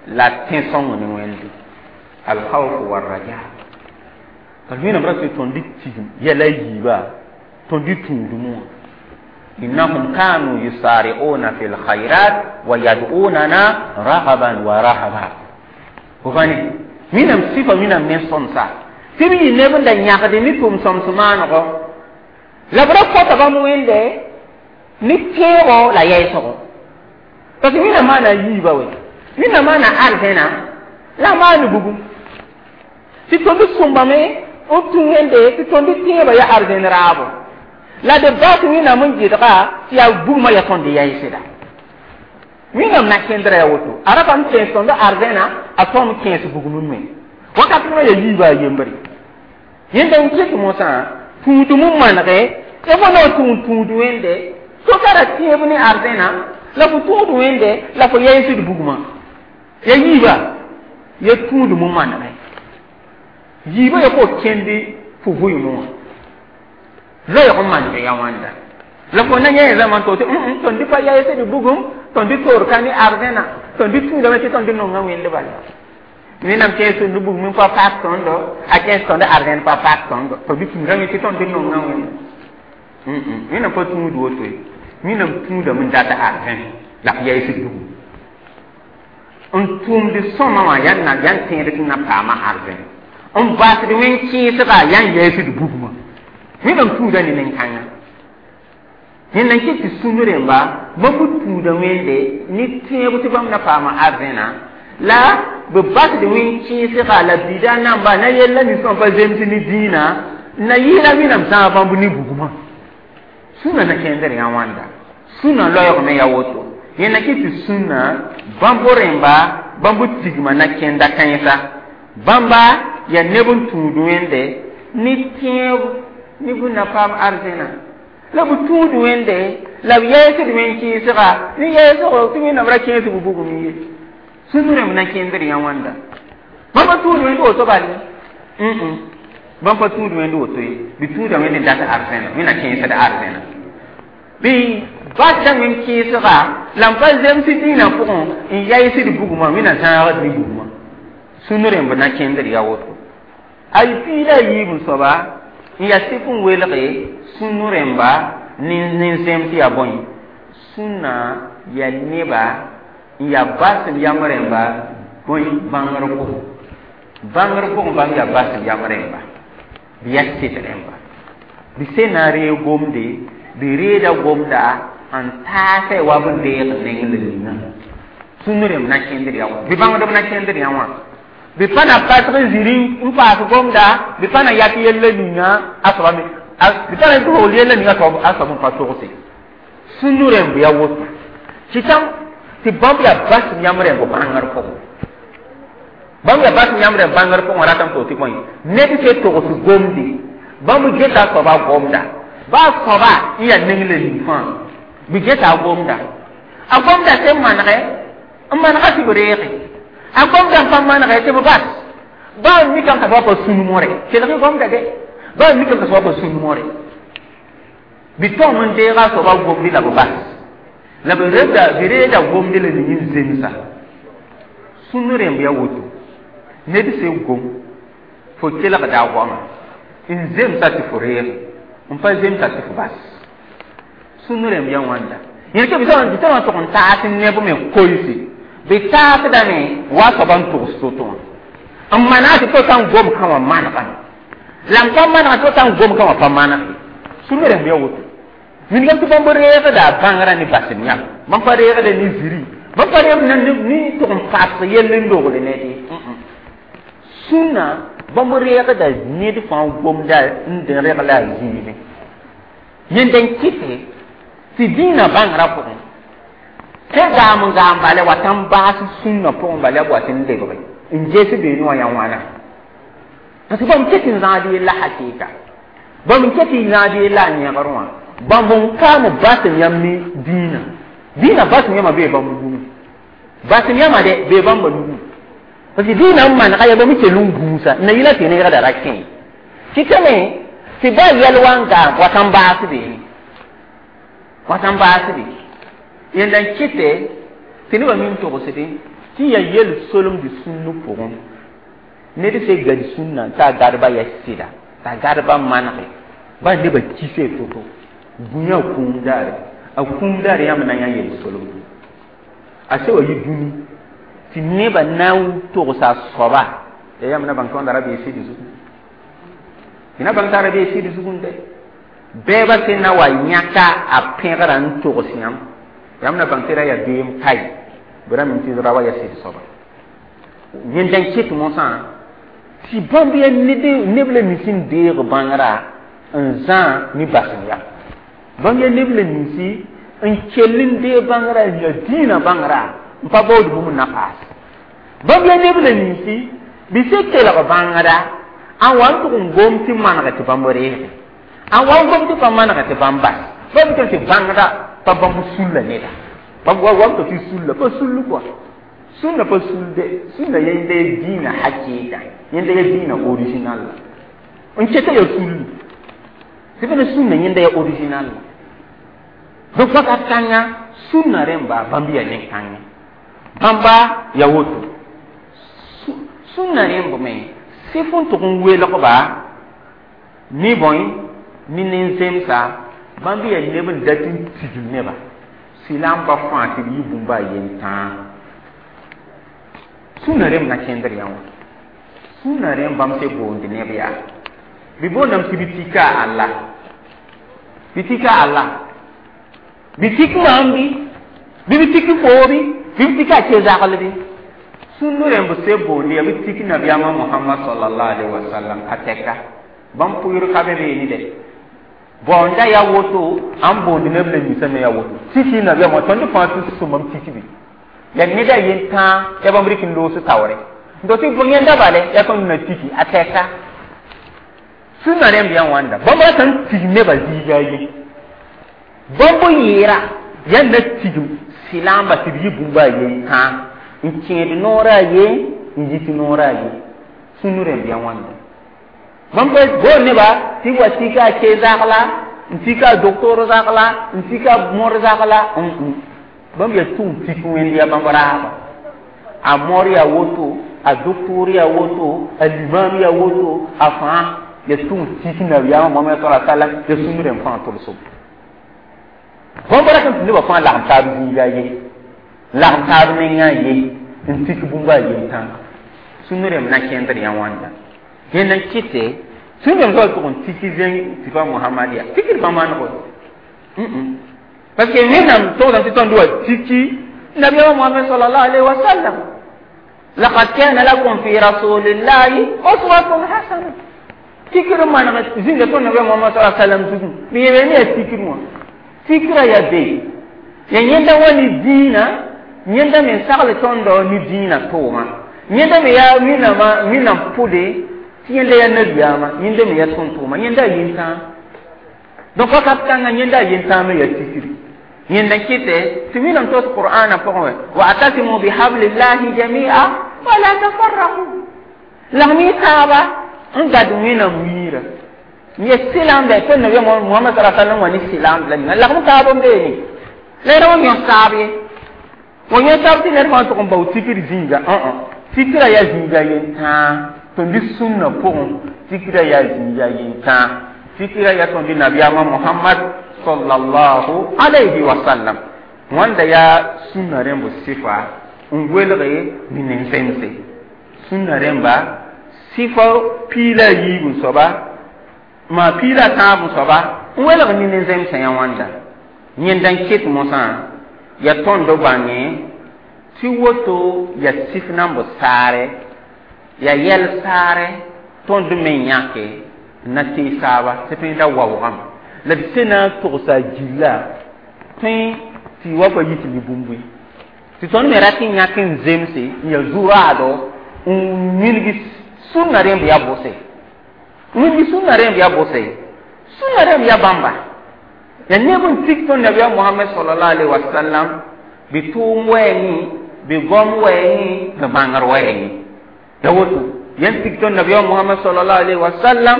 S1: la tẽ-sõng ne wẽnde alkhawf warraja parce wẽnnaam ra tɩ tõnd tigm yɛla yiiba tõnd tũudmẽ wã innahum kanu yusari'una fi lkhayrat wa yad'unana raghaban wa rahaba bõbane wẽnnaam sifa wẽnnaam ne sõmsa tɩ b yɩ neb n da yãgd ne tʋm-sõms maanego la b ra kõta bãmb wẽnde ne tẽego la yɛɛsgo parce que wẽnnaam maana a yiiba we wẽnnaam maana arzẽna la a maan bugum tɩ tõnd sõmbame n tũ wẽnde tɩ tõnd tẽebã yaa arzẽn raabo la d bas wẽnnaam n gɩdga tɩ yaa bugmã yaa tõnd yaɩsda wẽnnaam na kẽndra yaa woto a ra pa n kẽes tõnd arzẽna a tõm kẽes bugmẽ me wakat wã yaa yiiba a yembre yẽnda n kɩt mosã tũudum n manege tɩ fo na tũud tũud wẽnde so ka ra tẽeb ne arzẽna la fo tũud wẽnde la fo yaɩsd bugmã ya yiiba ya tũudum n manege yiiba ya fo kẽnd fo vʋɩmẽ wã loɛɛg n maneg ya wãnda la fo na yã zãma to tɩ tõnd pa yaɩsd bugum tõnd toor ka ne arzẽna tõnd tũudame tɩ tõnd nonga wẽnd bala wẽnnaam kẽes tõnd bugum n pa paak tõndo a kẽes tõnd arzẽn pa paak tõndo tõnd tũudame tɩ tõnd nonga wẽnd wẽnnaam pa tũud woto ye wẽnnaam tũudame n dat arzẽn la f yaɩsd bugum n tʋʋmd sõma wã yaa na yaa n tẽed tɩ na paama arzẽn n basd wẽn kẽesga yaa n yaɩsd bugmã wẽnnaam tũuda ne nen-kãngã yẽnda n kɩt tɩ sũn rẽmba bãmb tũuda wẽnde ne tẽeb tɩ bãmb na paama arzẽna la b basd wẽn kẽesga la bida namba na yella nin sõm pa zems ne dĩinã na yɩɩla wẽnnaam zãag bãmb ne bugmã sũnã na kẽndr yã wãnda sũnã loɛɛg me yaa woto yẽnda kɩt tɩ sũnã bãmb rẽmba bãmb tigma na kẽnda kãensa bãmba yaa neb n tũud wẽnde ne tẽeb ne b na paam arzẽna la b tũud wẽnde la b yaɩsd wẽn kẽesga ne yaɩsgo tɩ wẽnnaam ra kẽes b bugum ye sũn rẽmb na kẽndr yã wãnda bãmb pa tũud wẽnd woto bal bãmb pa tũud wẽnd woto ye bɩ tũuda wẽnd n dat arzẽna wẽnna kẽesd arzẽna bɩ basda wẽn kẽesga la n pa zems dĩinã pʋgẽ n yaɩsd bugmã wẽnna zãagd ne bugmã sũn rẽmb na kẽndr ya woto a piig la a yiib n soaba n yaa sɩf n welge sũn rẽmba nin-zems yaa bõe sũnã yaa neba n yaa basem yam rẽmba bõe bãngr pʋgẽ bãngr pʋgẽ bãmb yaa basem yam rẽmba bɩ yaa sɩd rẽmba bɩ sẽn na n reeg gomde bɩ reeda gomda n taasɛ wa b n deeg neng la ninga sũn rẽmb na kẽndr ya wã bɩ bãngdb na kẽndr yã wã bɩ pa na pasg n zĩri n paas gomda bɩ pa na yak yella ninga a soaba me bɩ pa na togl yella ninga a soab n pa togse sũn rẽmb ya woto kɩtame tɩ bãmb yaa basem yãmb rẽmb bãngr pʋgẽ bãmb yaa basem yãmb rẽmb bãngr pʋgẽ ratame to tɩ bõe ned se togs gomde bãmb geta a soaba gomda ba a soaba n yaa neng la ning fãa bɩ geta a gomda a gomda sẽn manegɛ n manega tɩ b reege a gomda n pa manegɛ tɩ b bas ba n mikame t'a soaba pa sũn moore kelg gomda de ba n mikame t'a soaba pa sũn moore bɩ tõm n deeg a soaba gomdi la b bas la b reda bɩ reeda gomdi la ning n zemsa sũn rẽmb yaa woto ned sẽn gom fo kelgda a goama n zemsa tɩ fo reege n pa zemsa tɩ fo bas sũn rẽmb yaa wãnda yẽl bɩ sã tʋg n taas neb me koɩse bɩ taasdame wa soaba n togs to-to wã N maneg tɩ to sã n gom kã wã manegame la m pa manega tɩ sã n gom kã wã pa maneg ye sũur rẽmb yaa woto wilgame tɩ bãmb reegda a bãngrã ne basem yãmb bãmb pa reegda ne ziri bãmb pa reegd ne tʋg n paas yell n logl ned ye sũnna bãmb reegda ned fãa gomda n regla a zĩigẽ yẽnda n kɩte tɩ dĩinã bãngrã pʋgẽ sẽn gaam n gaam bala wa tãn baas sũnna pʋgẽ bala b wa tɩ n lebge n ges beene wã yaa wãna parce que bãmb ket n zãad yella hakɩɩka bãmb n ket n zãad yella a yẽgr wã bãmb n kaam basem yãmb ne dĩinã dĩinã basem yãmã bee bãmb nugẽ basem yãmã de bee bãmba nugẽ parce que dĩinã n manega yaa bãmb kell n gũusa n na yɩla tɩ neegda ra kẽ kɩtame tɩ ba yɛl wa n gaam wa tãn baas beene wa tãn baas be yẽnda n kɩtɛ tɩ nebã mim togsdẽ tɩ yaa yel solemd sũnn pʋgẽ ned se gad sũnna t'a gadba ya sɩda t'a gadba manege ba nebã kise to-to gũyã a kũum daare a kũum daare yãmb na yã yel solemdo a se wa yɩ dũni tɩ nebã na n togsa a soaba ya yãmb na bãng tõndã ra bee sɩd zugẽ tɩ na bãng t'a ra bee sɩd zugẽ dɛ bɛɛba sẽn na wa yãka a pẽgrã n togs yãmb yãmb na bãng tɩ ra yaa beem kae bɩ ra mim tɩ ra wa ya sɩd soaba yẽnda n kɩt mosã tɩ bãmb yaa neb la nins n deeg bãngrã n zã ne basem yam bãmb yaa neb la ninsi n kell n deeg bãngrã n ya dĩinã bãngrã n pa baood bũmb na paas bãmb yaa neb la ninsi bɩ se kelg bãngda n wa n tʋg n gom tɩ maneg tɩ bãmb reege n wa n gom tɩ pa maneg tɩ bãmb bas bãmb tɩ tɩ bãngda pa bãmb sulla neda bãmb wa wa tɩ sulla pa sull kɔa sũnna pa sulde sũnna yẽnda ya dĩinã hakɩɩka yẽnda ya dĩinã original la n keta ya sulli tɩ bẽna sũnna yẽnda ya original la donc wakat kãnga sũnna rẽmba bãmb ya nen-kãngã bãmba ya woto sũnna rẽmb me sɩf n tʋg n welgba ne bõe ne nen-zemsa bãmb yaa neb n dat n tigim neba sɩlamba fãa tɩ b yɩ bũmba a yen tãa sũnna rẽmb na kẽndr yã wã sũnna rẽmb bãmb se boond neb yaa bɩ boondame tɩ bɩ tika a Allah bɩ tika a Allah bɩ tik maam bɩ bɩ bɩ tik foo bɩ bɩ bɩ tika a ke-zagl bɩ sũnn rẽmb se boond yaa bɩ tik nabiyaamã Mohamad sallallahu alaihi wasallam a tɛka bãmb pʋɩr ka be beene dɛ bõonda yaa woto ãn boond neb la ninsã me yaa woto tiki nabiyaamã tõnd fãa tɩ sõmam tik bɩ ya neda yen tãa ya bãmb rɩk n loos taoore n to tɩ yẽnda bale yaa tõnd na tiki a tɛka sũnna rẽmb yaa wãnda bãmb rata n tig nebã zĩiga ye bãmb yɩɩra yaa na tigim sɩlamba tɩ b yɩ bũmba a yen tãa n kẽed noorã a ye n yit noorã a ye sũnn rẽmb yaa wãnda bãmb boond neba tɩ b wa tika a ke-zagla n tika a doctor zagla n tika a mor zagla bãmb yaa tʋg n tik wẽnd yaa bãmb raaba a mor yaa woto a doctor yaa woto a limam yaa woto a fãa ya tʋg n tik nabiyaamã Mohamad sala sallam ya sũnn rẽmb fãa tʋlsem bãmb rat n tɩ nebã fãa lagem taab zĩiga ye lagem taab nengã ye n tik bũmba a yen tãa sũnn rẽmb na kẽndr yã wãnda yẽnd n kɩte sũnn rẽmb soab tʋg n tiki zẽng tɩ pa Mohamad yaa tikd pa manego parce que wẽnnaam togsame tɩ tõnd wa tiki nabiyaamã Mohamad sallallahu alaihi wa sallam laqad kana lakum fi rasulillahi uswatun hasana tikr maneg zĩnga tõnd nabiyaam Mohamad sallallahu alaihi wa sallam zugẽ b yeele ne yaa tikr wã tikra yaa be ya yẽnda wa ne dĩinã yẽnda me sagl tõndo ne dĩinã tʋʋma yẽnda me yaa wẽnnaamã wẽnnaam pʋde tɩ yẽnda yaa nabiyaamã yẽnda me yaa tõn-tʋʋma yẽnda a yen-tãa donc wakat kãngã yẽnda a yen-tãa me yaa tikri yẽnda kɩtɛ tɩ wẽnnaam tos qur'aanã pʋgẽ wa'tasimu bihablillahi jami'a wala tafarraqu lagm y taaba n gad wẽnnaam wiirã ye silam bɛ tõnd nabiya Muhammad sallallahu alaihi wasallam wa ne silam la ninga lagm taab n beene la ra wa yõ saab ye wa yõ saab tɩ ned fãa tʋg n bao tikr zĩiga tikra yaa zĩiga yen-tãa tõnd sũnna pʋgẽ tikra yaa zĩiga yen-tãa tikra yaa tõnd nabiyaamã Muhammad sallallahu alayhi wa sallam wãnda yaa sũnna rẽmb sɩfa n welge ne nin-zemse sũnna rẽmba Tɩ fo piila a yiib soaba maa piila a tãab soaba n welg ne nin-zemsã yã wãnda yẽnda n ket mosã ya tõnd bãnge tɩ woto ya sif namb saare ya yɛl saare tõnd me yãke n na tee saaba tɩ tõe da waoogame la d se na n togsa a gilla tõe tɩ wa pa yit ne bũmb ye tɩ tõnd me rat n yãk n zemse n ya zu-raado n wilg sũnna rẽmb ya bʋse wilg sũnna rẽmb ya bʋse sũnna rẽmb ya bãmba ya neb n tik tõnd nabiya mohamad sallallahu alaihi wasallam bɩ tʋʋm wɛɛngẽ bɩ gom wɛɛngẽ bɩ bãngr wɛɛngẽ ya woto yẽn tik tõnd nabiya mohamad sallallahu alaihi wasallam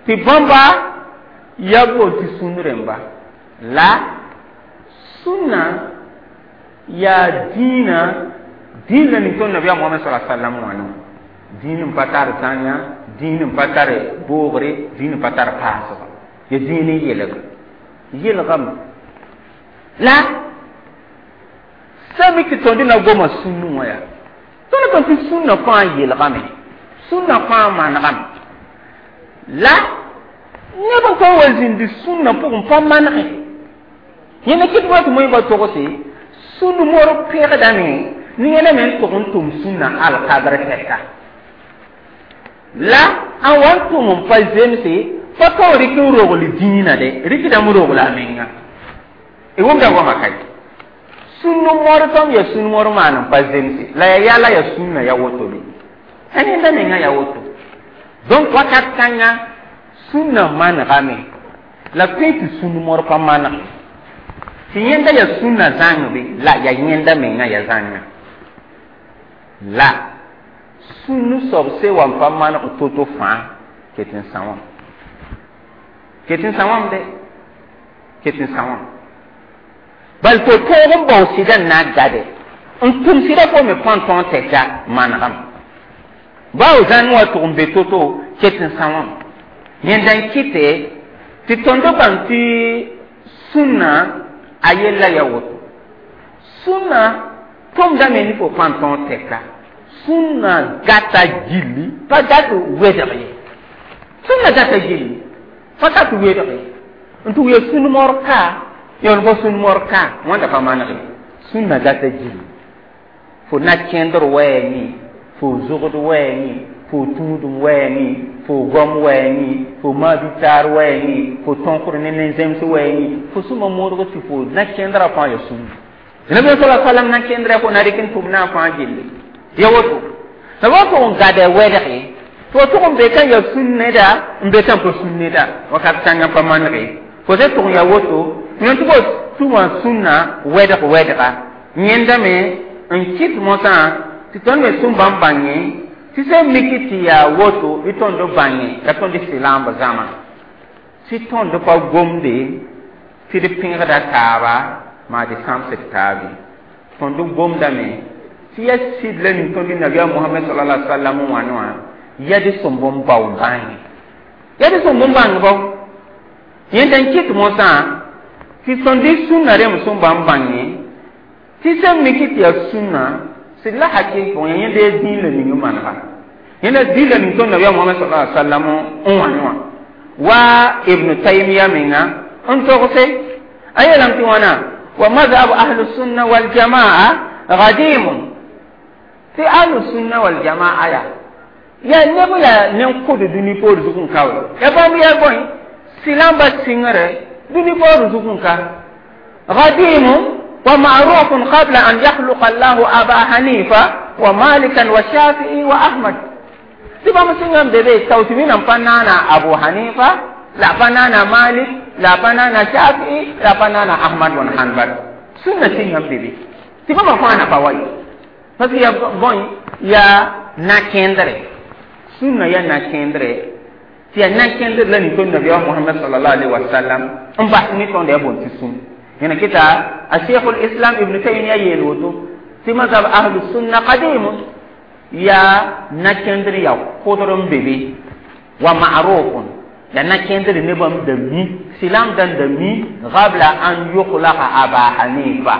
S1: tɩ bãmba ya bool tɩ sũn rẽmba la sũnna yaa dĩinã dĩin la ning tõnd nabiya mohamad sallallahu alaihi wasallam wã no dĩin n pa tar zãnga dĩin n pa tar boogre dĩin n pa tar paasga ya dĩin n yelg yelgame la sã mik tɩ tõnd na goma sũnnu wã yaa tõnd tõnd tɩ sũnna fãa yelgame sũnna fãa manegame la neb n tõe n wa zĩndi sũnna pʋgẽ pa manege yẽnda kɩt wa tɩ moẽ ba togse sũnd mor pẽgdame ne yẽna me n tog n tʋm sũnna alkadr tɛka la a wa n tʋm n pa zemse pa tao rɩk n rogl dĩinã de rɩkdame rogla a menga y wʋmda goama ka sũnd mor tõm ya sũnd mor maan n pa zemse la ya yala ya sũnna ya woto be a nenda menga ya woto donc wakat kãnga sũnna manegame la tõe tɩ sũnd mor pa maneg tɩ yẽnda ya sũnna zãng be la ya yẽnda menga ya zãnga la sũnd soab se wa n pa maneg to-to fãa ket n sã wã ket n sã wãm de ket n sã wã bal fo tõog n bao sɩda n na n gade n tʋm sɩda fo me põn tõog tɛka manegame bao zãn wa tʋg n be to-to ket n sã wãm yẽnda n kɩte tɩ tõnd bãng tɩ sũnna a yella ya woto sũnna tʋmdame ne fo põn tõog tɛka sũnna gata gilli pa dat wedg ye sũnna gata gilli pa dat wedg ye n tɩ ya sũn mor ka yõn fo sũn mor ka wãnda pa maneg ye sũnna gata gilli fo na kẽndr wɛɛngẽ fo zogd wɛɛngẽ fo tũudum wɛɛngẽ fo gom wɛɛngẽ fo maabitaar wɛɛngẽ fo tõkr ne nin-zems wɛɛngẽ fo sũma modg tɩ fo na kẽndrã fãa ya sũnna nabi sala sallam na kẽndrã fo na rɩk n tʋm na n fãa gilli ya woto la wa tʋg n gada wɛdge tɩ wa tʋg n be ka ya sũn neda n be ka n pa sũn neda wakat kãngã pa manege fo se tʋg n ya woto yõ tɩ fo tʋma sũnna wɛdg wɛdga yẽndame n kɩt mosã tɩ tõnd me sũn bãmb bãngẽ tɩ sẽn mik tɩ yaa woto bɩ tõnd bãnge la tõnd silaamb zãma tɩ tõnd pa gomde tɩ d pẽgda taaba maa d sãmsd taabe tõnd gomdame tɩ ya sɩd la ning tõnd nabiya mohamad sallallahu alaihi wasallam wãn wã ya d sõmb n bao bãnge ya d sõmb n bãng bao yẽnda n kɩt mosã tɩ tõnd sũnna rẽmb sẽn bãmb bãnge tɩ sẽn mik tɩ yaa sũnna sɩd la hakɩ fo yẽnda ya dĩin la ning n manega yẽnda dĩin la ning tõnd nabiya mohamad sallallahu alaihi wasallam n wãne wã wa ibn taymiya menga n togse a yeelame tɩ wãna wa mazhab ahlu sunna waljamaa gadimun tɩ ahlu sunna waljamaa ya ya neb la nen-kʋd dũni poor zug n ka we ya bãmb ya bõe silãmba sɩngre dũni poor zug n ka gadimun ومعروف قبل أن يخلق الله أبا حنيفة ومالكا والشافعي وأحمد تبا مسلم بيبي توتمين فنانا أبو حنيفة لا فنانا مالك لا فنانا شافعي لا فنانا أحمد بن حنبل سنة سنة بيبي تبا ما فانا فواي parce que ya bon ya na kendre sunna ya na kendre ti ya na kendre la ni to nabi Muhammad sallallahu alaihi wasallam n bas ni tõnd ya bon tɩ sũn yẽna kɩta a cheikh islam ibn taymiya yeel woto tɩ mazhab ahlu sunna qadim ya na kẽndr ya kʋdr n be be wa ma'rufun ya na kẽndr nebam da mi silam dan da mi qabla an yukhlaqa aba hanifa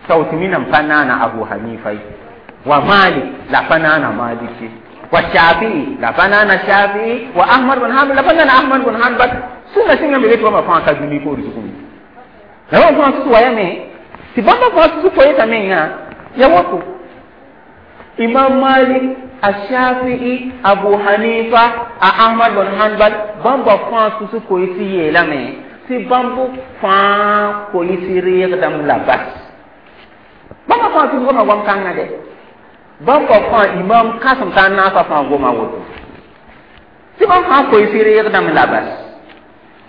S1: tawtimi nan pa naana abu hanifa wa malik la pa naana maliki Wa Shafi'i la pa naana Shafi'i, wa Ahmad bn Hanbal la pa nana Ahmad bn Hanbal. Sũnna sẽnga me tɩ bãmba fãa ka dũni poor zugum la bãmb fãa sus wayame tɩ bãmba fãa sus koeesa menga ya woto. Imam Malik, a Shafi'i, Abu Hanifa, a Ahmad bn Hanbal, bãmba fãa sus koees yeelame tɩ bãmb fãa koees reegdame la bas. Bãmba fãa sus goma goam kãngã dɛ bãmba fãa imam kãsem t'a naasã fãa goma woto tɩ bãmb fãa koees reegdame la bas.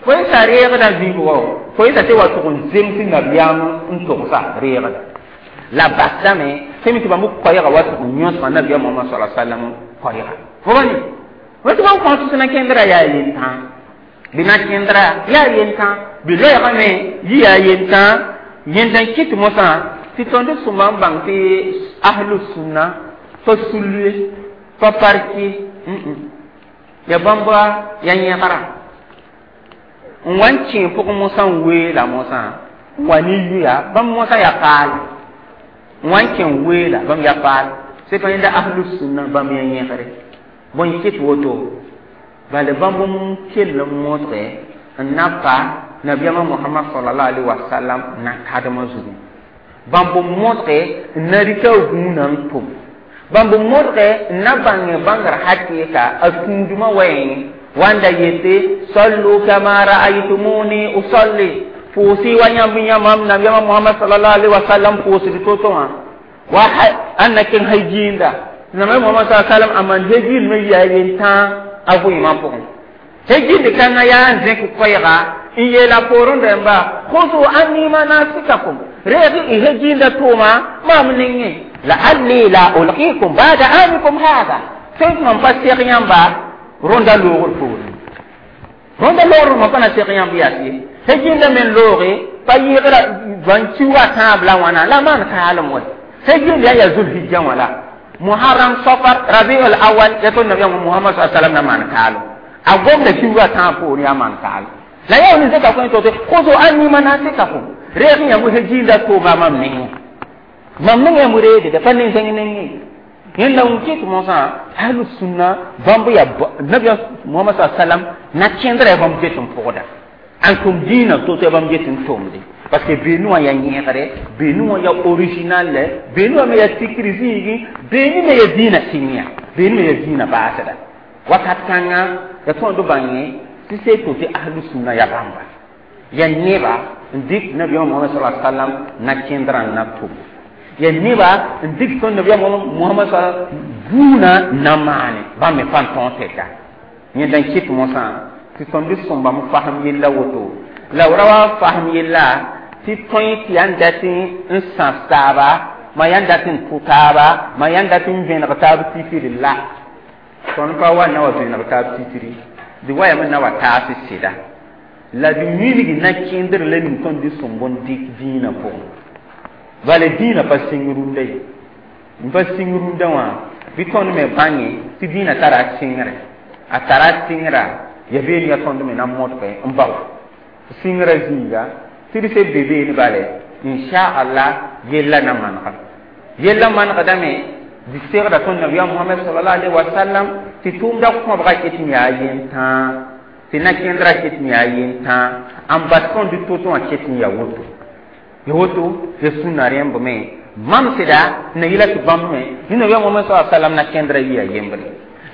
S1: Koeesa reegda vĩibgo koeesa tɩ wa tʋg n zems nabiyaam n togsa reegda la basdame tɩ me tɩ bãmb koɛɛga wa tʋg n yõsga nabiyaam Mohamad sala sallam koɛɛga fo ba ni tɩ bãmb fãa tus na kẽndra yaa yentã bɩ na kẽndra yaa yentã bɩ loɛɛgame yɩ yaa yentã yẽnda n kɩt mosã tɩ tõnd sõma n bãng tɩ ahlu sũnna pa sulue pa parki ya bãmba ya yẽgra n wa n kẽ pʋg mosã n weela mosã n wa ne yuya bãmb mosã ya paal n wa n kẽ n weela bãmb ya paal sẽn yẽnda ahlu sũnna bãmb ya yẽgre bõe kɩt woto bala bãmb n kell n modge n na pa nabiyaamã Mohamad salallahu alaihi wasallam na kadmã zugu bãmb n modge n na rɩka gũunã n tʋm bãmb n modge n na bãng bãngr hakɩɩka a tũudmã wɛɛngẽ wanda yete sallu kama ra'aytumuni usalli pʋʋsɩ wa yãmb yãmam nabiyaamã Mohamad sallallahu alaihi wasallam pʋʋsd to-to wã wa ãn na keng hajiinda nabiyaam Mohamad sallallahu alaihi wasallam a maan hejind me yaa yentã a vɩɩmã pʋgẽ hejind kãngã yaa n zẽk koɛɛga n yeela poorẽ rẽmba khuzu anni manasikakum reeg y hejiinda tʋʋma maam nengẽ la'alli la ulqikum ba'da amikum hada sẽn mam pa seg yãmba rõnda loogr poorẽ rõnda loogr mam pa na seg yãmb yas ye hejiinda me looge pa yɩɩgra bãn-kiuga tãab la wãna la maan kaalem wɛ hejind yaa yaa zulhijja wã la Muharram, Safar, Rabiul Awal ya tõnd nabiyaam Muhammad sa sallam na maan kaalem a gomda kiuga tãab poorẽ yaa maan kaalem la yaa wã zeka kõ to khuzu anni manasikakum reeg yãmb hejiinda tʋʋma mam nengẽ mam nengẽ m reede pa nin-zẽng nengẽ yẽnda n kɩt mosã ahlu sũnna bãmb ya nabiyaam Mohamad sa sallam na kẽndra ya bãmb get n pʋgda an tʋm dĩinã to-to ya bãmb get n tʋmde parce que beenu wã yaa yẽgre beenu wã yaa original lɛ beenu wã me yaa tikr zĩigẽ beenu me yaa dĩinã sɩng ya beenu me yaa dĩinã baasda wakat kãngã ya tõnd bãngẽ tɩ see to tɩ ahlu sũnna ya bãmba ya neba n dɩk nabiyaam Mohamad sa sallam na kẽndrã n na tʋm ya neba n dɩk tõnd nabiyaam Mohamad sa buuna na maane bãmb me pa n tõog tɛka yẽnda n kɩt mosã tɩ tõnd sõmbame fasem yella woto la b ra wa fasem yella tɩ tõe tɩ yaa n dat n sãs taaba ma yaa n dat n tʋ taaba ma yaa n dat n vẽneg taab titri la tõnd pa wa na wa vẽneg taab titri dɩ wa yame na wa taas sɩda la d wilg na kẽndr la ning tõnd dɩ sõmb n dɩk dĩinã pʋgẽ bala dĩinã pa sɩng rũndã ye n pa sɩng rũndã wã bɩ tõnd me bãnge tɩ dĩinã tara a sɩngre a tara a sɩngra ya beene ya tõnd me na modge n bao sɩngrã zĩiga tɩ d se be beene bale inchallah yella na manega yella manegdame dɩ segda tõnd nabiyaam Mohamad salallahu alaihi wasallam tɩ tʋʋmda kõbga ket n yaa yentã tɩ na kẽndrã ket n yaa yentã n bas tõnd to-to wã ket n yaa woto ya woto ya sũnna rẽmb me mam sɩda na yɩla tɩ bãmb me ne nabiyaam Mohamad sa sallam na kẽndrã yɩa yembre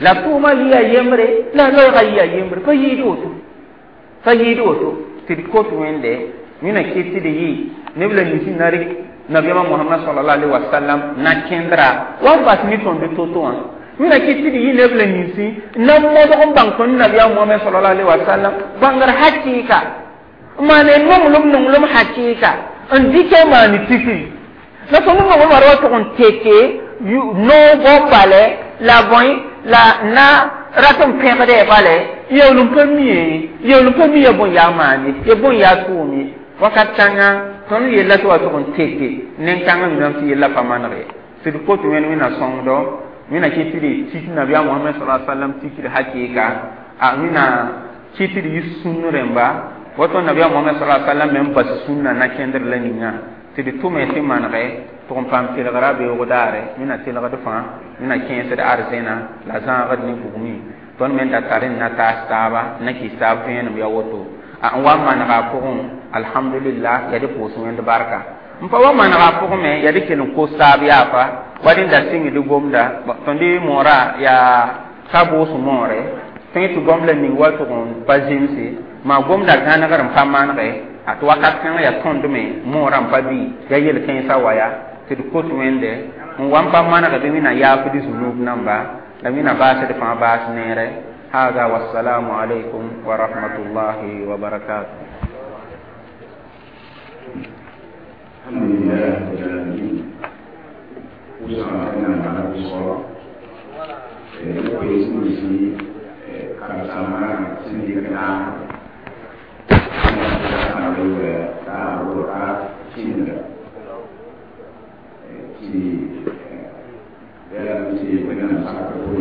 S1: la tʋʋmã yɩa yembre la loɛɛgã yɩa yembre pa yɩɩd woto pa yɩɩd woto tɩ d kot wẽnde wẽna kɩt tɩ d yɩ neb la nins na rɩk nabiyaamã Mohamad salallahu alaihi wasallam na kẽndra wa n bas ne tõnd to-to wã wẽna kɩt tɩ d yɩ neb la ninsi na modg n bãng tõnd nabiyaam Mohamad salallahu alaihi wasallam bãngr hakɩɩka n maane nonglem nonglem hakɩɩka n dɩkɛ maane tikri la tõnd nonglem ra wa tʋg n teke noogõ bale la bõe la na rat n pẽgdɛ bale yeool n pa mi yeool n pa mi ya bõe yaa maane ya bõe yaa tʋʋm ye wakat kãngã tõnd yella tɩ wa tʋg n teke nen-kãngã miname tɩ yella pa maneg ye tɩ d kot wẽnd wẽnna sõngdo wẽnna kɩt tɩ d tik nabiyaam Mohamad sa sallam tikr hakɩɩka a wẽnna kɩt tɩ d yɩ sũn rẽmba woto nabiyaam Mohamad sa sallam me n bas sũnna na kẽndr la ninga tɩ d tʋme tɩ manege Tʋg n paam telgra beoog daare, wẽnna telgd fãa, wẽnna kẽesd arzẽna la zãagd ne bugmẽ. Tõnd me da tar n na taas taaba, n na kɩs taab vẽenem ya woto. A n wa n manega a pʋgẽ, alhamdulillah, yaa dɩ pʋʋs Wẽnd barka. N pa wa manega a pʋgẽ me, yaa dɩ kell n kos taab yaafa wa rẽnda sɩngd gomda. Tõnd moorã yaa ka boos moore tõe tɩ gom la ning wa tʋg n pa zemse, maa gomda gãnegr n pa manege a tɩ wakat kãngã yaa tõnd me moorã n pa bɩ yaa yel-kãensã wa ya tɩ d kot Wẽnde n wa n pa manege bɩ Wẽnnaam yaafd zunub namba la Wẽnnaam baasd fãa baas neere. هذا والسلام عليكم ورحمة الله وبركاته.
S2: الحمد لله رب العالمين. Pʋʋsã Wẽnnaam bala pʋʋsgɔ koees nins karen-saambã sẽn dɩk naam t'a ka kĩnda tɩ yãmb tɩ Wẽnnaam sakr.